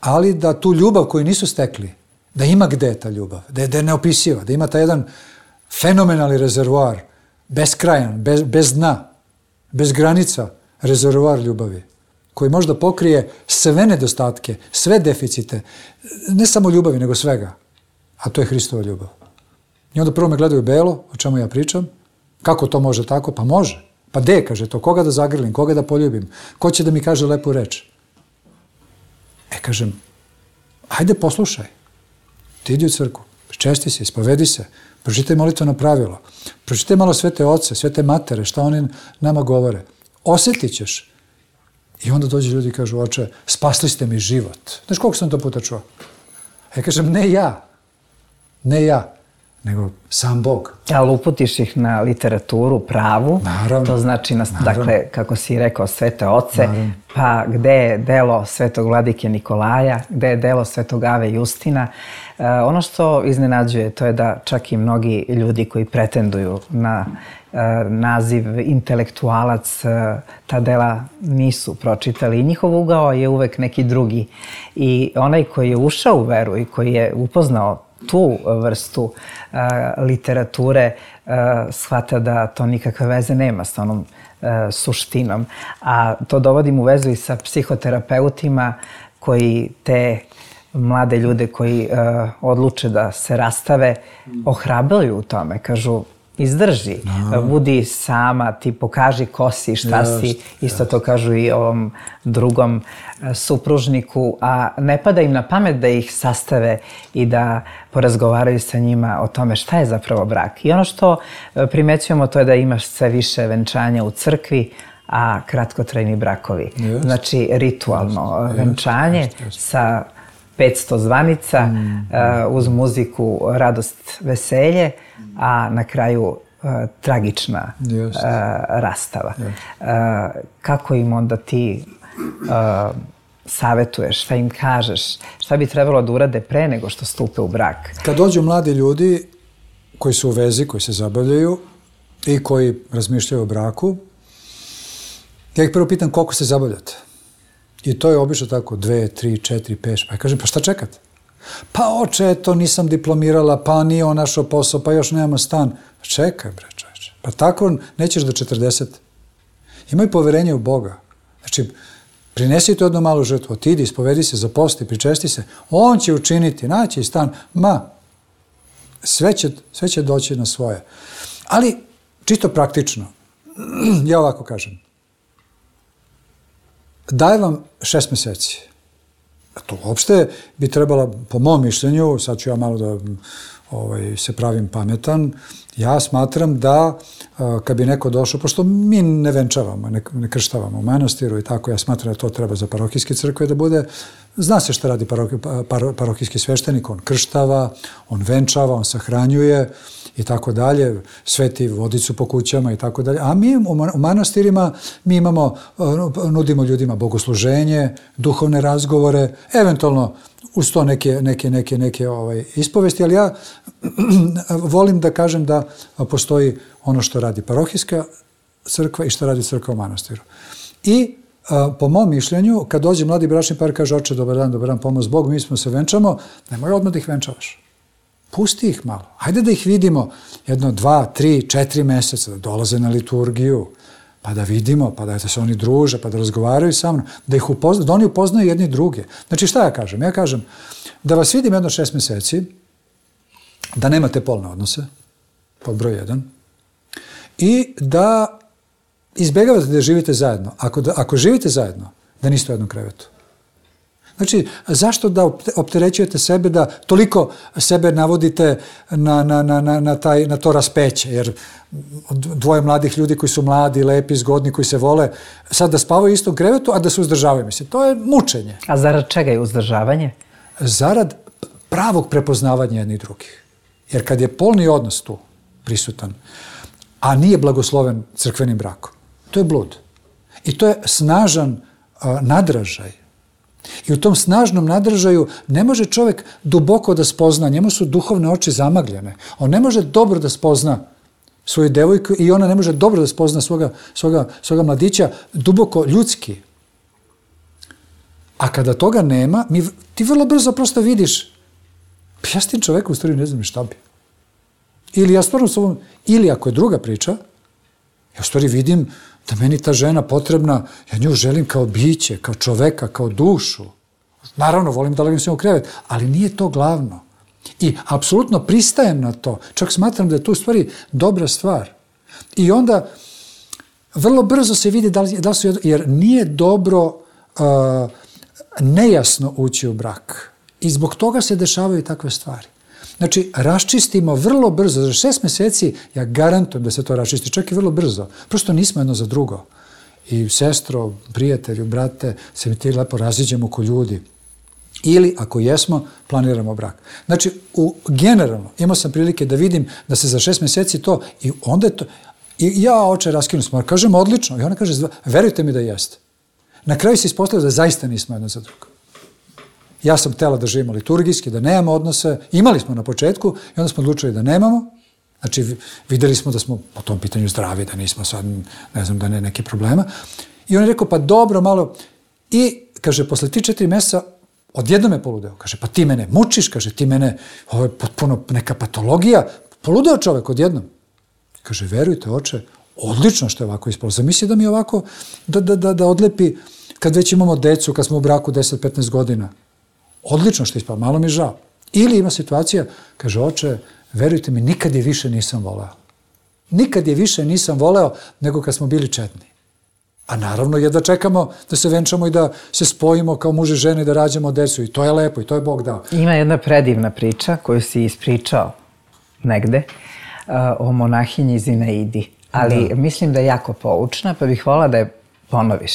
Speaker 12: ali da tu ljubav koju nisu stekli Da ima gde ta ljubav, da je, da je neopisiva, da ima taj jedan fenomenalni rezervoar, beskrajan, bez, bez dna, bez granica rezervoar ljubavi, koji možda pokrije sve nedostatke, sve deficite, ne samo ljubavi, nego svega. A to je Hristova ljubav. I onda prvo me gledaju belo, o čemu ja pričam. Kako to može tako? Pa može. Pa de, kaže to, koga da zagrlim, koga da poljubim, ko će da mi kaže lepu reč? E, kažem, ajde poslušaj. Ti idi u crkvu, česti se, ispovedi se, pročitaj molitveno pravilo, pročitaj malo svete oce, svete matere, šta oni nama govore. Osjetit ćeš. I onda dođe ljudi i kažu, oče, spasli ste mi život. Znaš koliko sam to puta čuo? Ja kažem, ne ja, ne ja, nego sam Bog.
Speaker 11: Ali uputiš ih na literaturu, pravu,
Speaker 12: naravno,
Speaker 11: to znači, na,
Speaker 12: naravno.
Speaker 11: Dakle, kako si rekao, svete oce,
Speaker 12: naravno.
Speaker 11: Pa gde je delo svetog vladike Nikolaja, gde je delo svetog Ave Justina. E, ono što iznenađuje, to je da čak i mnogi ljudi koji pretenduju na e, naziv intelektualac, e, ta dela nisu pročitali i njihov ugao je uvek neki drugi. I onaj koji je ušao u veru i koji je upoznao tu vrstu uh, literature uh, shvata da to nikakve veze nema s onom uh, suštinom. A to dovodim u vezu i sa psihoterapeutima koji te mlade ljude koji uh, odluče da se rastave ohrabruju u tome. Kažu, izdrži, no. Budi sama, ti pokaži ko si, šta just, si. Isto just. To kažu i ovom drugom supružniku, a ne pada im na pamet da ih sastave i da porazgovaraju sa njima o tome šta je zapravo brak. I ono što primećujemo to je da imaš sve više venčanja u crkvi, a kratkotrajni brakovi. Just. Znači, ritualno just. venčanje just. Just. sa petsto zvanica, mm. uh, uz muziku radost, veselje, a na kraju uh, tragična uh, rastava. Uh, kako im onda ti uh, savetuješ, šta im kažeš, šta bi trebalo da urade pre nego što stupe u brak?
Speaker 12: Kad dođu mladi ljudi koji su u vezi, koji se zabavljaju i koji razmišljaju o braku, ja ih prvo pitam koliko se zabavljate. I to je obično tako, dve, tri, četiri, pet, pa ja kažem, pa šta čekate? Pa oče, eto, nisam diplomirala, pa nije on našao posao, pa još nemamo stan. Čekaj, bre, čoveče. Pa tako nećeš do četrdeset. Imaj poverenje u Boga. Znači, prinesi to jednu malu žrtvu, otidi, ispovedi se, zaposti, pričesti se. On će učiniti, naći stan. Ma, sve će, sve će doći na svoje. Ali, čisto praktično, ja ovako kažem, daj vam šest meseci. To uopšte bi trebala, po mom mišljenju, sad ću ja malo da ovaj, se pravim pametan, ja smatram da kad bi neko došao, pošto mi ne venčavamo, ne, ne krštavamo u manastiru i tako, ja smatram da to treba za parohijske crkve da bude, zna se šta radi parohi, par, parohijski sveštenik, on krštava, on venčava, on sahranjuje i tako dalje, sveti vodicu po kućama i tako dalje. A mi u manastirima mi imamo, nudimo ljudima bogosluženje, duhovne razgovore, eventualno uz to neke, neke, neke, neke ovaj, ispovesti, ali ja volim da kažem da postoji ono što radi parohijska crkva i što radi crkva u manastiru. I a, po mom mišljenju, kad dođe mladi bračni par, kaže, oče, dobar dan, dobar dan, pomoz Bog, mi smo se venčamo, nemoj odmah da ih venčavaš. Pusti ih malo. Hajde da ih vidimo jedno, dva, tri, četiri meseca, da dolaze na liturgiju, pa da vidimo, pa da se oni druže, pa da razgovaraju sa mnom, da, ih upozna, da oni upoznaju jedni druge. Znači, šta ja kažem? Ja kažem da vas vidim jedno šest meseci, da nemate polne odnose, pod broj jedan, i da izbjegavate da živite zajedno. Ako, da, ako živite zajedno, da niste u jednom krevetu. Znači, zašto da opterećujete sebe, da toliko sebe navodite na, na, na, na, taj, na to raspeće? Jer dvoje mladih ljudi koji su mladi, lepi, zgodni, koji se vole, sad da spavaju u istom krevetu, a da se uzdržavaju. Mislim, to je mučenje.
Speaker 11: A zarad čega je uzdržavanje?
Speaker 12: Zarad pravog prepoznavanja jednih drugih. Jer kad je polni odnos tu prisutan, a nije blagosloven crkvenim brakom, to je blud. I to je snažan uh, nadražaj. I u tom snažnom nadražaju ne može čovjek duboko da spozna, njemu su duhovne oči zamagljene. On ne može dobro da spozna svoju devojku i ona ne može dobro da spozna svoga, svoga, svoga mladića duboko ljudski. A kada toga nema, mi, ti vrlo brzo prosto vidiš Pa ja s tim čovekom u stvari ne znam šta bi. Ili ja stvarno s ovom, ili ako je druga priča, ja u stvari vidim da meni ta žena potrebna, ja nju želim kao biće, kao čoveka, kao dušu. Naravno, volim da legnem s njom u krevet, ali nije to glavno. I apsolutno pristajem na to. Čak smatram da je to u stvari dobra stvar. I onda vrlo brzo se vidi da li, da li su, jer nije dobro uh, nejasno ući u brak. I zbog toga se dešavaju takve stvari. Znači, raščistimo vrlo brzo. Za šest meseci ja garantujem da se to raščisti. Čak i vrlo brzo. Prosto nismo jedno za drugo. I sestro, prijatelju, brate, se mi ti lepo raziđemo ko ljudi. Ili, ako jesmo, planiramo brak. Znači, u, generalno, imao sam prilike da vidim da se za šest meseci to, i onda je to, i ja oče raskinu smo, kažem odlično, i ona kaže, verujte mi da jeste. Na kraju se ispostavio da zaista nismo jedno za drugo. Ja sam htela da živimo liturgijski, da nemamo odnose, imali smo na početku i onda smo odlučili da nemamo. Znači, videli smo da smo po tom pitanju zdravi, da nismo sad, ne znam, da ne neki problema. I on je rekao, pa dobro, malo, i, kaže, posle ti četiri meseca, odjednom je poludeo. Kaže, pa ti mene mučiš, kaže, ti mene, ovo je potpuno neka patologija. Poludeo čovek odjednom. Kaže, verujte, oče, odlično što je ovako ispalo. Zamisli da mi ovako, da, da, da, da odlepi, kad već imamo decu, kad smo u braku deset petnaest godina. Odlično što je ispalo, malo mi je žao. Ili ima situacija, kaže, oče, verujte mi, nikad je više nisam voleo. Nikad je više nisam voleo nego kad smo bili četni. A naravno, jedva čekamo da se venčamo i da se spojimo kao muž i žene, da rađamo decu. I to je lepo, i to je Bog dao.
Speaker 11: Ima jedna predivna priča koju si ispričao negde uh, o monahinji Zinaidi. Ali da. Mislim da je jako poučna, pa bih volila da je ponoviš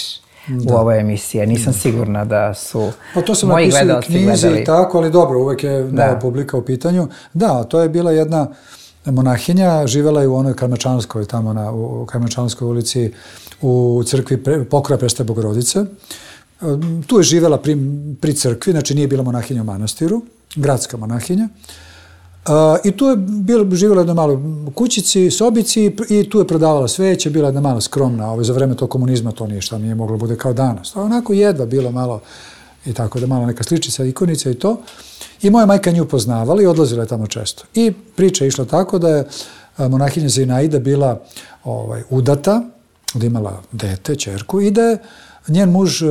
Speaker 11: da. U ovoj emisiji. Nisam da. Sigurna da su pa to sam moji gledalci knjizi gledali. I tako, ali dobro, uvek je nova publika u pitanju. Da, to je bila jedna monahinja, živela je u onoj Karmačanskoj, tamo na, u Karmačanskoj ulici, u crkvi pre, Pokroja Presvete Bogorodice. Tu je živela pri, pri crkvi, znači nije bila monahinja u manastiru, gradska monahinja. Uh, I tu je bila, živjela jedna malo kućici, sobici i tu je prodavala sveće, bila jedna malo skromna. Ovo, za vreme tog komunizma to ništa nije moglo bude kao danas. To onako jedva bilo malo i tako da malo neka sličica, ikonica i to. I moja majka nju poznavala i odlazila je tamo često. I priča je išla tako da je monahinja Zinaida bila ovaj, udata, da imala dete, ćerku i da je njen muž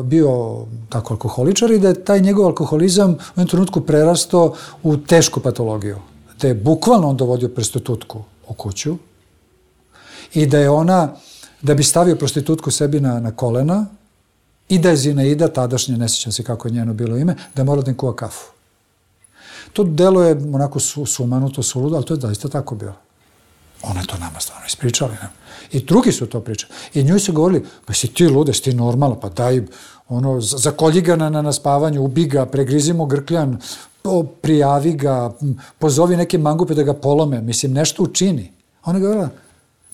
Speaker 11: bio tako alkoholičar i da je taj njegov alkoholizam u jednom trenutku prerastao u tešku patologiju. Da je bukvalno on dovodio prostitutku u kuću i da je ona, da bi stavio prostitutku sebi na, na kolena i da je Zinaida, tadašnje, ne sjećam se kako je njeno bilo ime, da je mora da im kuva kafu. To delo je onako su, sumanuto, suludo, ali to je zaista tako bilo. Ona je to nama stvarno ispričala. Ne? I drugi su to pričali. I njoj su govorili, pa si ti lude, si ti normalno, pa daj, ono, zakolji ga na, na spavanju, ubi ga, pregrizi mu grkljan, prijavi ga, pozovi neke mangupe da ga polome, mislim, nešto učini. Ona je govorila,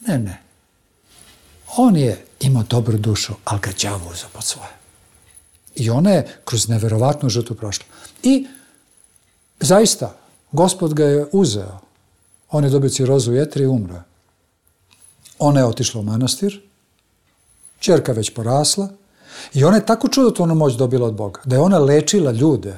Speaker 11: ne, ne. On je imao dobru dušu, ali ga đavo uzeo pod svoje. I ona je kroz neverovatnu žrtvu prošla. I zaista, Gospod ga je uzeo. On je dobio cirozu jetre i umro. Ona je otišla u manastir, ćerka već porasla i ona je tako čudotvornu moć dobila od Boga, da je ona lečila ljude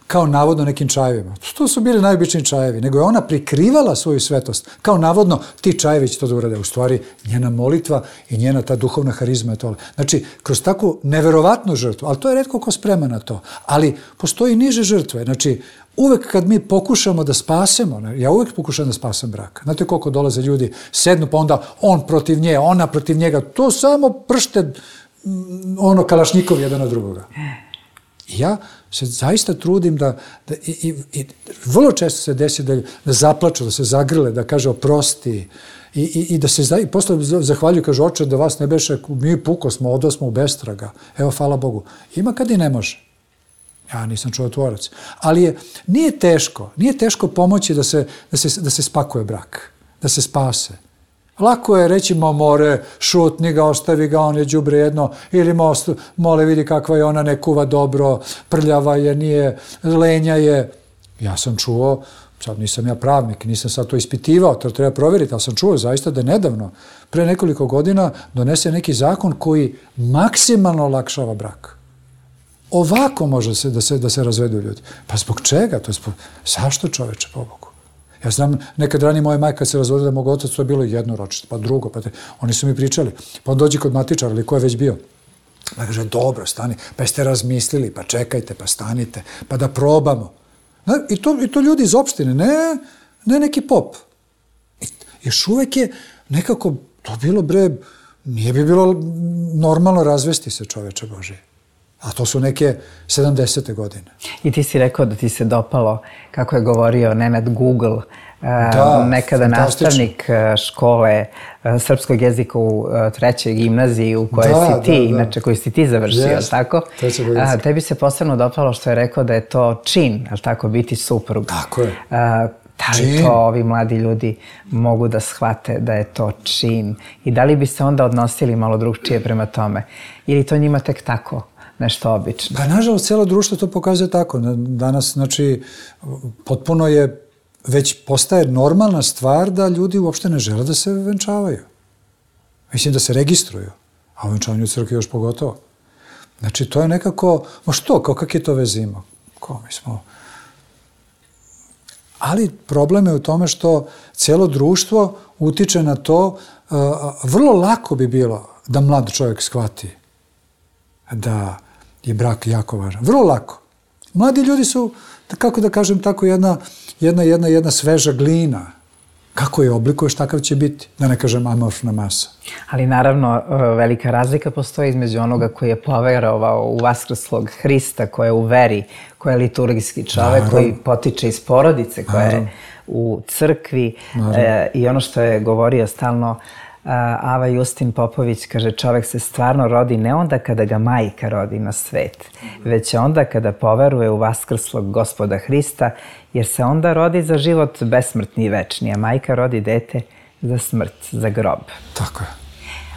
Speaker 11: kao navodno nekim čajevima. To su bili najobičniji čajevi, nego je ona prikrivala svoju svetost, kao navodno ti čajevi će to da urade. U stvari, njena molitva i njena ta duhovna harizma je to. Znači, kroz takvu neverovatnu žrtvu, ali to je retko ko sprema na to, ali postoji niže žrtve. Znači, uvek kad mi pokušamo da spasemo, ja uvek pokušam da spasem brak. Znate koliko dolaze ljudi, sednu, pa onda on protiv nje, ona protiv njega, to samo pršte ono kalašnjikov jedan od drugoga. Ja se zaista trudim da, da i, i, i vrlo često se desi da, da zaplaču, da se zagrle, da kaže oprosti i, i, i da se i posle zahvaljuju, kaže oče da vas ne beše, mi puko smo, odo smo u bestraga, evo hvala Bogu. Ima kad i ne može. Ja nisam čudotvorac. Ali je, nije teško, nije teško pomoći da se, da se, da se spakuje brak, da se spase. Lako je reći, ma more, šutni ga, ostavi ga, on je đubre jedno, ili most, mole vidi kakva je ona, ne kuva dobro, prljava je, nije, lenja je. Ja sam čuo, sad nisam ja pravnik, nisam sad to ispitivao, to treba provjeriti, ali sam čuo zaista da nedavno, pre nekoliko godina, donese neki zakon koji maksimalno olakšava brak.
Speaker 12: ovako može se da se, da se razvedu ljudi. Pa zbog čega? To je zbog... Zašto čoveče, pobogu? Ja znam, nekad ranije moja majka se razvodila da mog otac, to je bilo jedno ročište, pa drugo, pa te... Oni su mi pričali. Pa on dođe kod matičara, ali ko je već bio? Pa kaže, dobro, stani, pa jeste razmislili, pa čekajte, pa stanite, pa da probamo. I to, i to ljudi iz opštine, ne, ne neki pop. I, još uvek je nekako to bilo, bre, nije bi bilo normalno razvesti se, čoveče Božije. A to su neke sedamdesete godine.
Speaker 11: I ti si rekao da ti se dopalo, kako je govorio Nenad Google,
Speaker 12: da,
Speaker 11: nekada nastavnik škole srpskog jezika u trećoj gimnaziji u kojoj da, si ti, da, da. inače koju si ti završio, yes, tako? A, tebi se posebno dopalo što je rekao da je to čin, ali tako, biti suprug.
Speaker 12: Tako je.
Speaker 11: A, da li to ovi mladi ljudi mogu da shvate da je to čin? I da li bi se onda odnosili malo drugčije prema tome? Ili to njima tek tako? Nešto obično.
Speaker 12: Pa, nažalost, cijelo društvo to pokazuje tako. Danas, znači, potpuno je, već postaje normalna stvar da ljudi uopšte ne žele da se venčavaju. Mislim da se registruju, a u venčavanju u crkvi još pogotovo. Znači, to je nekako, ma što, kao kak je to veze ima? Ko mi smo... Ali problem je u tome što cijelo društvo utiče na to, vrlo lako bi bilo da mlad čovjek shvati da je brak jako važan. Vrlo lako. Mladi ljudi su, kako da kažem tako, jedna, jedna, jedna, jedna sveža glina. Kako je oblikuješ, takav će biti. Da ne kažem amorfna masa.
Speaker 11: Ali naravno, velika razlika postoji između onoga koji je poverovao u vaskrslog Hrista, koji je u veri, koji je liturgijski čovek, naravno, koji potiče iz porodice, koja je u crkvi. E, I ono što je govorio stalno Ava Justin Popović, kaže, čovek se stvarno rodi ne onda kada ga majka rodi na svet, već onda kada poveruje u vaskrslog Gospoda Hrista, jer se onda rodi za život besmrtni i večni, a majka rodi dete za smrt, za grob.
Speaker 12: Tako je.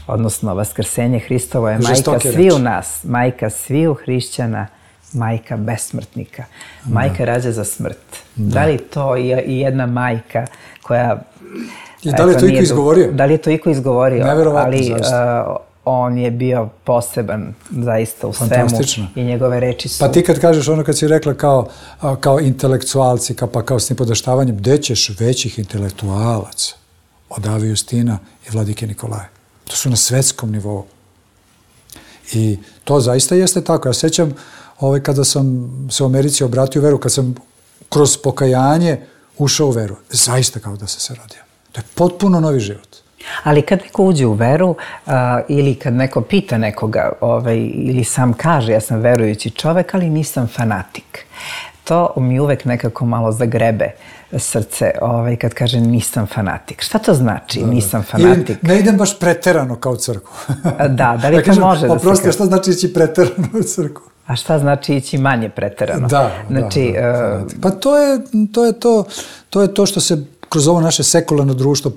Speaker 11: Odnosno, vaskrsenje Hristovo je majka sviju nas, majka sviju hrišćana, majka besmrtnika. Majka rađa za smrt. Da li to je i jedna majka koja...
Speaker 12: I da li je to iko izgovorio?
Speaker 11: Da li je to iko izgovorio,
Speaker 12: ali
Speaker 11: uh, on je bio poseban zaista u svemu i njegove reči su...
Speaker 12: Pa ti kad kažeš ono kad si rekla kao, kao intelektualci, kao, pa kao s tim podaštavanjem, gde ćeš većih intelektualaca od Ave Justina i Vladike Nikolaja? To su na svetskom nivou. I to zaista jeste tako. Ja sećam ovaj, kada sam se u Americi obratio u veru, kad sam kroz pokajanje ušao u veru. Zaista kao da sam se rodio. To je potpuno novi život.
Speaker 11: Ali kad neko uđe u veru uh, ili kad neko pita nekoga ovaj, ili sam kaže ja sam verujući čovek, ali nisam fanatik, to mi uvek nekako malo zagrebe srce ovaj, kad kaže nisam fanatik. Šta to znači da, nisam fanatik?
Speaker 12: Ili ne idem baš preterano kao u crkvu.
Speaker 11: Da, da li to kažem, može da se
Speaker 12: kaže? Šta znači ići preterano u crkvu?
Speaker 11: A šta znači ići manje preterano?
Speaker 12: Da,
Speaker 11: znači,
Speaker 12: da, da. Uh, pa to je, to je to, to je to što se kroz ovo naše sekularno društvo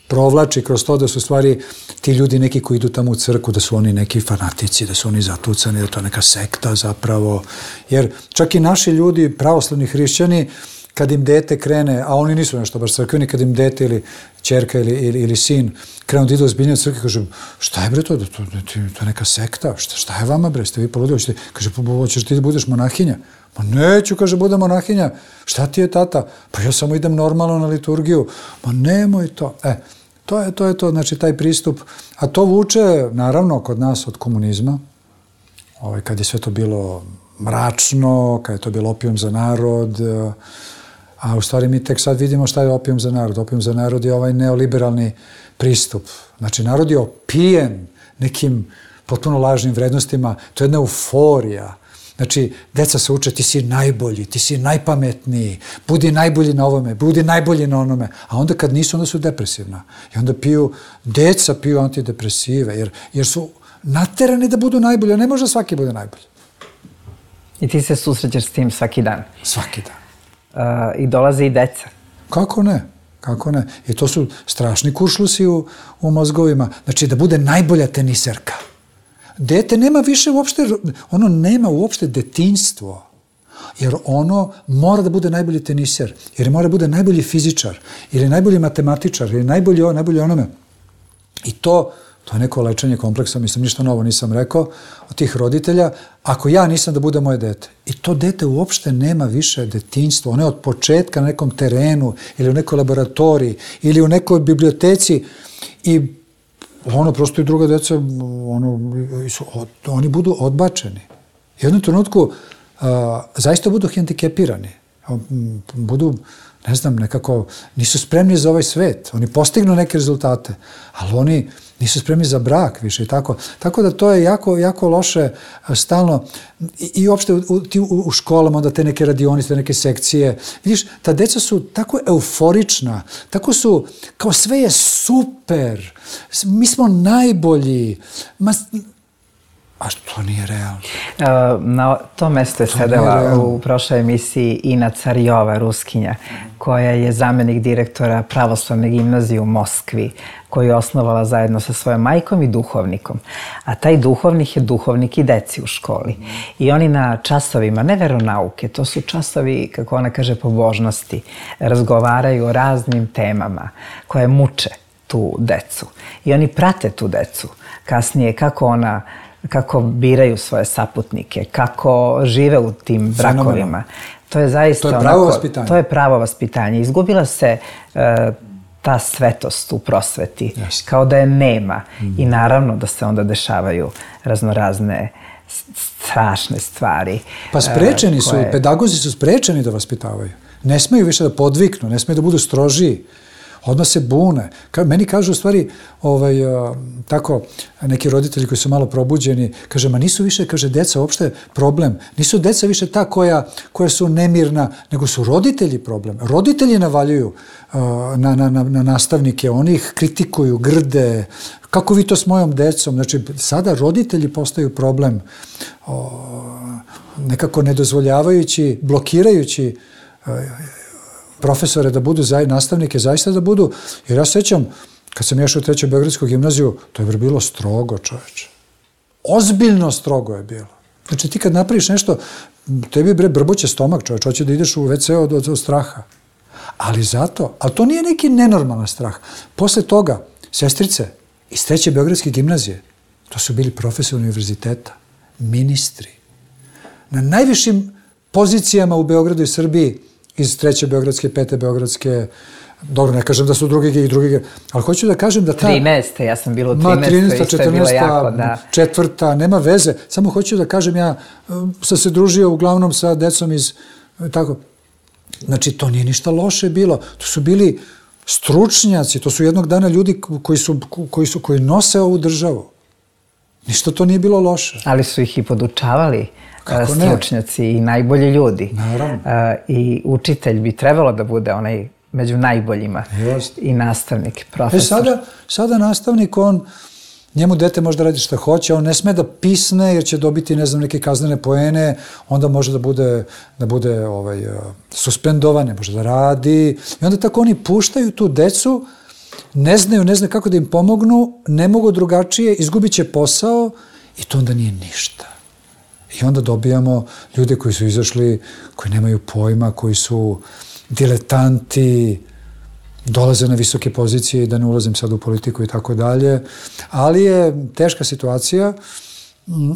Speaker 12: provlači, kroz to da su stvari ti ljudi neki koji idu tamo u crkvu, da su oni neki fanatici, da su oni zatucani, da to je neka sekta zapravo. Jer čak i naši ljudi, pravoslavni hrišćani, kad im dete krene, a oni nisu nešto baš crkveni, kad im dete ili ćerka ili, ili, ili sin krenu da idu ozbiljnije od crkve, kažem, šta je bre to? To, to, to je neka sekta, šta, šta je vama bre? Ste vi poludili? Kaže, hoćeš ti da budeš monahinja? Ma neću, kaže, budem monahinja. Šta ti je, tata? Pa ja samo idem normalno na liturgiju. Ma nemoj to. E, to je to, je to znači taj pristup. A to vuče, naravno, kod nas od komunizma, ovaj, kad je sve to bilo mračno, kad je to bilo opijum za narod, a u stvari mi tek sad vidimo šta je opijum za narod. Opijum za narod je ovaj neoliberalni pristup. Znači, narod je opijen nekim potpuno lažnim vrednostima. To je jedna euforija. Znači, deca se uče, ti si najbolji, ti si najpametniji, budi najbolji na ovome, budi najbolji na onome. A onda kad nisu, onda su depresivna. I onda piju, deca piju antidepresive, jer, jer su naterani da budu najbolji, a ne može svaki bude najbolji.
Speaker 11: I ti se susrećeš s tim svaki dan?
Speaker 12: Svaki dan.
Speaker 11: Uh, I dolaze i deca?
Speaker 12: Kako ne? Kako ne? I to su strašni kuršlusi u, u mozgovima. Znači, da bude najbolja teniserka. Dete nema više uopšte, ono nema uopšte detinjstvo, jer ono mora da bude najbolji teniser, jer mora da bude najbolji fizičar, ili najbolji matematičar, ili najbolji ovo, najbolji onome. I to To je neko lečenje kompleksa, mislim, ništa novo nisam rekao, od tih roditelja, ako ja nisam da bude moje dete. I to dete uopšte nema više detinjstvo, ono je od početka na nekom terenu, ili u nekoj laboratoriji, ili u nekoj biblioteci i ono, prosto i druga deca, ono, oni budu odbačeni. I u jednom trenutku a, zaista budu hendikepirani. Budu, ne znam, nekako, nisu spremni za ovaj svet. Oni postignu neke rezultate, ali oni nisu spremni za brak više i tako. Tako da to je jako, jako loše stalno. I, i uopšte u, ti u, u školama onda te neke radionice, te neke sekcije. Vidiš, ta deca su tako euforična, tako su, kao sve je super, mi smo najbolji. Ma, a to nije realno.
Speaker 11: Na tom mestu je sedela u prošloj emisiji Ina Carjova, Ruskinja, koja je zamenik direktora Pravoslavne gimnazije u Moskvi, koju je osnovala zajedno sa svojom majkom i duhovnikom. A taj duhovnik je duhovnik i deci u školi. I oni na časovima, ne veronauke, to su časovi, kako ona kaže, pobožnosti, razgovaraju o raznim temama koje muče tu decu. I oni prate tu decu. Kasnije, kako ona kako biraju svoje saputnike, kako žive u tim brakovima. To je zaista
Speaker 12: to je pravo vaspitanje.
Speaker 11: To je pravo vaspitanje. Izgubila se uh, ta svetost u prosveti, yes. kao da je nema. Mm. I naravno da se onda dešavaju raznorazne strašne stvari.
Speaker 12: Pa sprečeni uh, koje... su, pedagozi su sprečeni da vaspitavaju. Ne smeju više da podviknu, ne smeju da budu strožiji. Odmah se bune. Ka, meni kažu u stvari, ovaj, uh, tako, neki roditelji koji su malo probuđeni, kaže, ma nisu više, kaže, deca uopšte problem. Nisu deca više ta koja, koja su nemirna, nego su roditelji problem. Roditelji navaljuju uh, na, na, na, na nastavnike, oni ih kritikuju, grde. Kako vi to s mojom decom? Znači, sada roditelji postaju problem, uh, nekako nedozvoljavajući, blokirajući uh, profesore da budu, nastavnike zaista da budu, jer ja sećam, kad sam išao u treću Beogradsku gimnaziju, to je bilo strogo, čoveče. Ozbiljno strogo je bilo. Znači ti kad napraviš nešto, tebi bre brboće stomak, čoveče, hoće da ideš u ve ce od, od, od straha. Ali zato, ali to nije neki nenormalan strah. Posle toga, sestrice iz treće Beogradske gimnazije, to su bili profesori univerziteta, ministri. Na najvišim pozicijama u Beogradu i Srbiji, iz treće Beogradske, pete Beogradske, dobro, ne kažem da su drugi i drugi, ali hoću da kažem da ta...
Speaker 11: trinaeste, ja sam bila u trinaestoj, isto je bilo jako, da.
Speaker 12: Četvrta, nema veze, samo hoću da kažem, ja sam se družio uglavnom sa decom iz, tako, znači to nije ništa loše bilo, to su bili stručnjaci, to su jednog dana ljudi koji su, koji su, koji nose ovu državu. Ništa to nije bilo loše.
Speaker 11: Ali su ih i podučavali stručnjaci i najbolji ljudi.
Speaker 12: Naravno.
Speaker 11: I učitelj bi trebalo da bude onaj među najboljima.
Speaker 12: Just.
Speaker 11: I nastavnik, profesor.
Speaker 12: E sada, sada nastavnik, on, njemu dete može da radi šta hoće, on ne sme da pisne jer će dobiti, ne znam, neke kaznene poene, onda može da bude, da bude ovaj, suspendovan, ne može da radi. I onda tako oni puštaju tu decu, ne znaju, ne znaju kako da im pomognu, ne mogu drugačije, izgubit će posao i to onda nije ništa. I onda dobijamo ljude koji su izašli, koji nemaju pojma, koji su diletanti, dolaze na visoke pozicije i da ne ulazim sad u politiku i tako dalje. Ali je teška situacija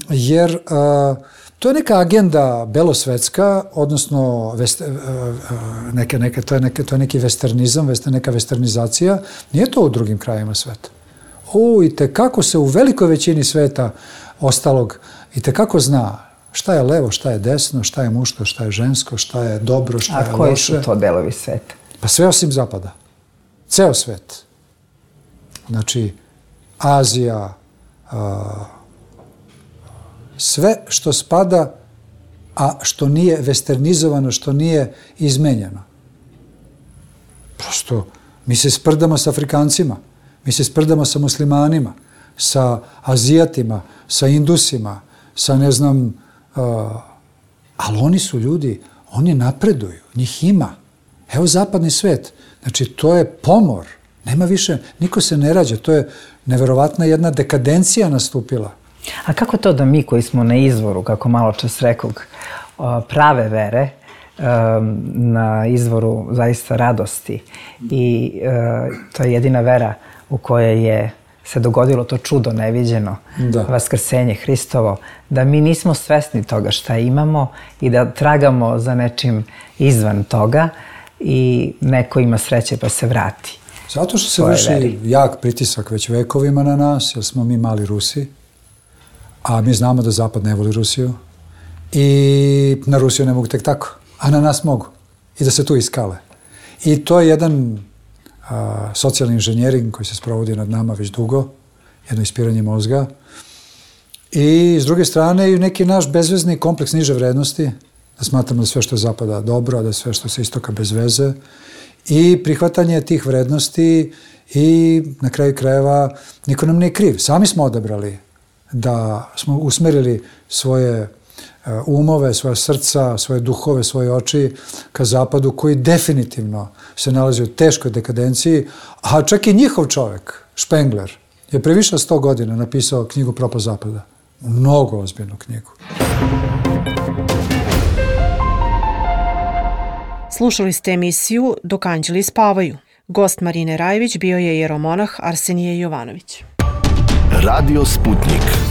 Speaker 12: jer a, to je neka agenda belosvetska, odnosno vest, a, a, neke, neke, to, je neke, to je neki westernizam, vest, neka westernizacija. Nije to u drugim krajima sveta. O, i tekako se u velikoj većini sveta ostalog i tekako zna šta je levo, šta je desno, šta je muško, šta je žensko, šta je dobro, šta je loše.
Speaker 11: A koji su to delovi sveta?
Speaker 12: Pa sve osim zapada. Ceo svet. Znači, Azija, a, sve što spada, a što nije westernizovano, što nije izmenjeno. Prosto, mi se sprdamo sa Afrikancima, mi se sprdamo sa muslimanima, sa Azijatima, sa Indusima, sa ne znam, uh, ali oni su ljudi, oni napreduju, njih ima. Evo zapadni svet, znači to je pomor, nema više, niko se ne rađa, to je neverovatna jedna dekadencija nastupila.
Speaker 11: A kako to da mi koji smo na izvoru, kako malo čas rekog, prave vere, na izvoru zaista radosti i to je jedina vera u kojoj je se dogodilo to čudo neviđeno,
Speaker 12: Da.
Speaker 11: Vaskrsenje Hristovo, da mi nismo svesni toga šta imamo i da tragamo za nečim izvan toga i neko ima sreće pa se vrati.
Speaker 12: Zato što se vrši jak pritisak već vekovima na nas, jer smo mi mali Rusi, a mi znamo da Zapad ne voli Rusiju i na Rusiju ne mogu tek tako, a na nas mogu i da se tu iskale. I to je jedan a, socijalni inženjering koji se sprovodi nad nama već dugo, jedno ispiranje mozga. I s druge strane i neki naš bezvezni kompleks niže vrednosti, da smatramo da sve što je Zapada dobro, a da sve što se istoka bez veze, i prihvatanje tih vrednosti i na kraju krajeva niko nam nije kriv. Sami smo odabrali da smo usmerili svoje umove, svoje srca, svoje duhove, svoje oči ka Zapadu koji definitivno se nalazi u teškoj dekadenciji, a čak i njihov čovek, Špengler, je pre više od sto godina napisao knjigu Propast Zapada. Mnogo ozbiljnu knjigu.
Speaker 10: Slušali ste emisiju Dok anđeli spavaju. Gost Marine Rajević bio je jeromonah Arsenije Jovanović.
Speaker 5: Radio Sputnik.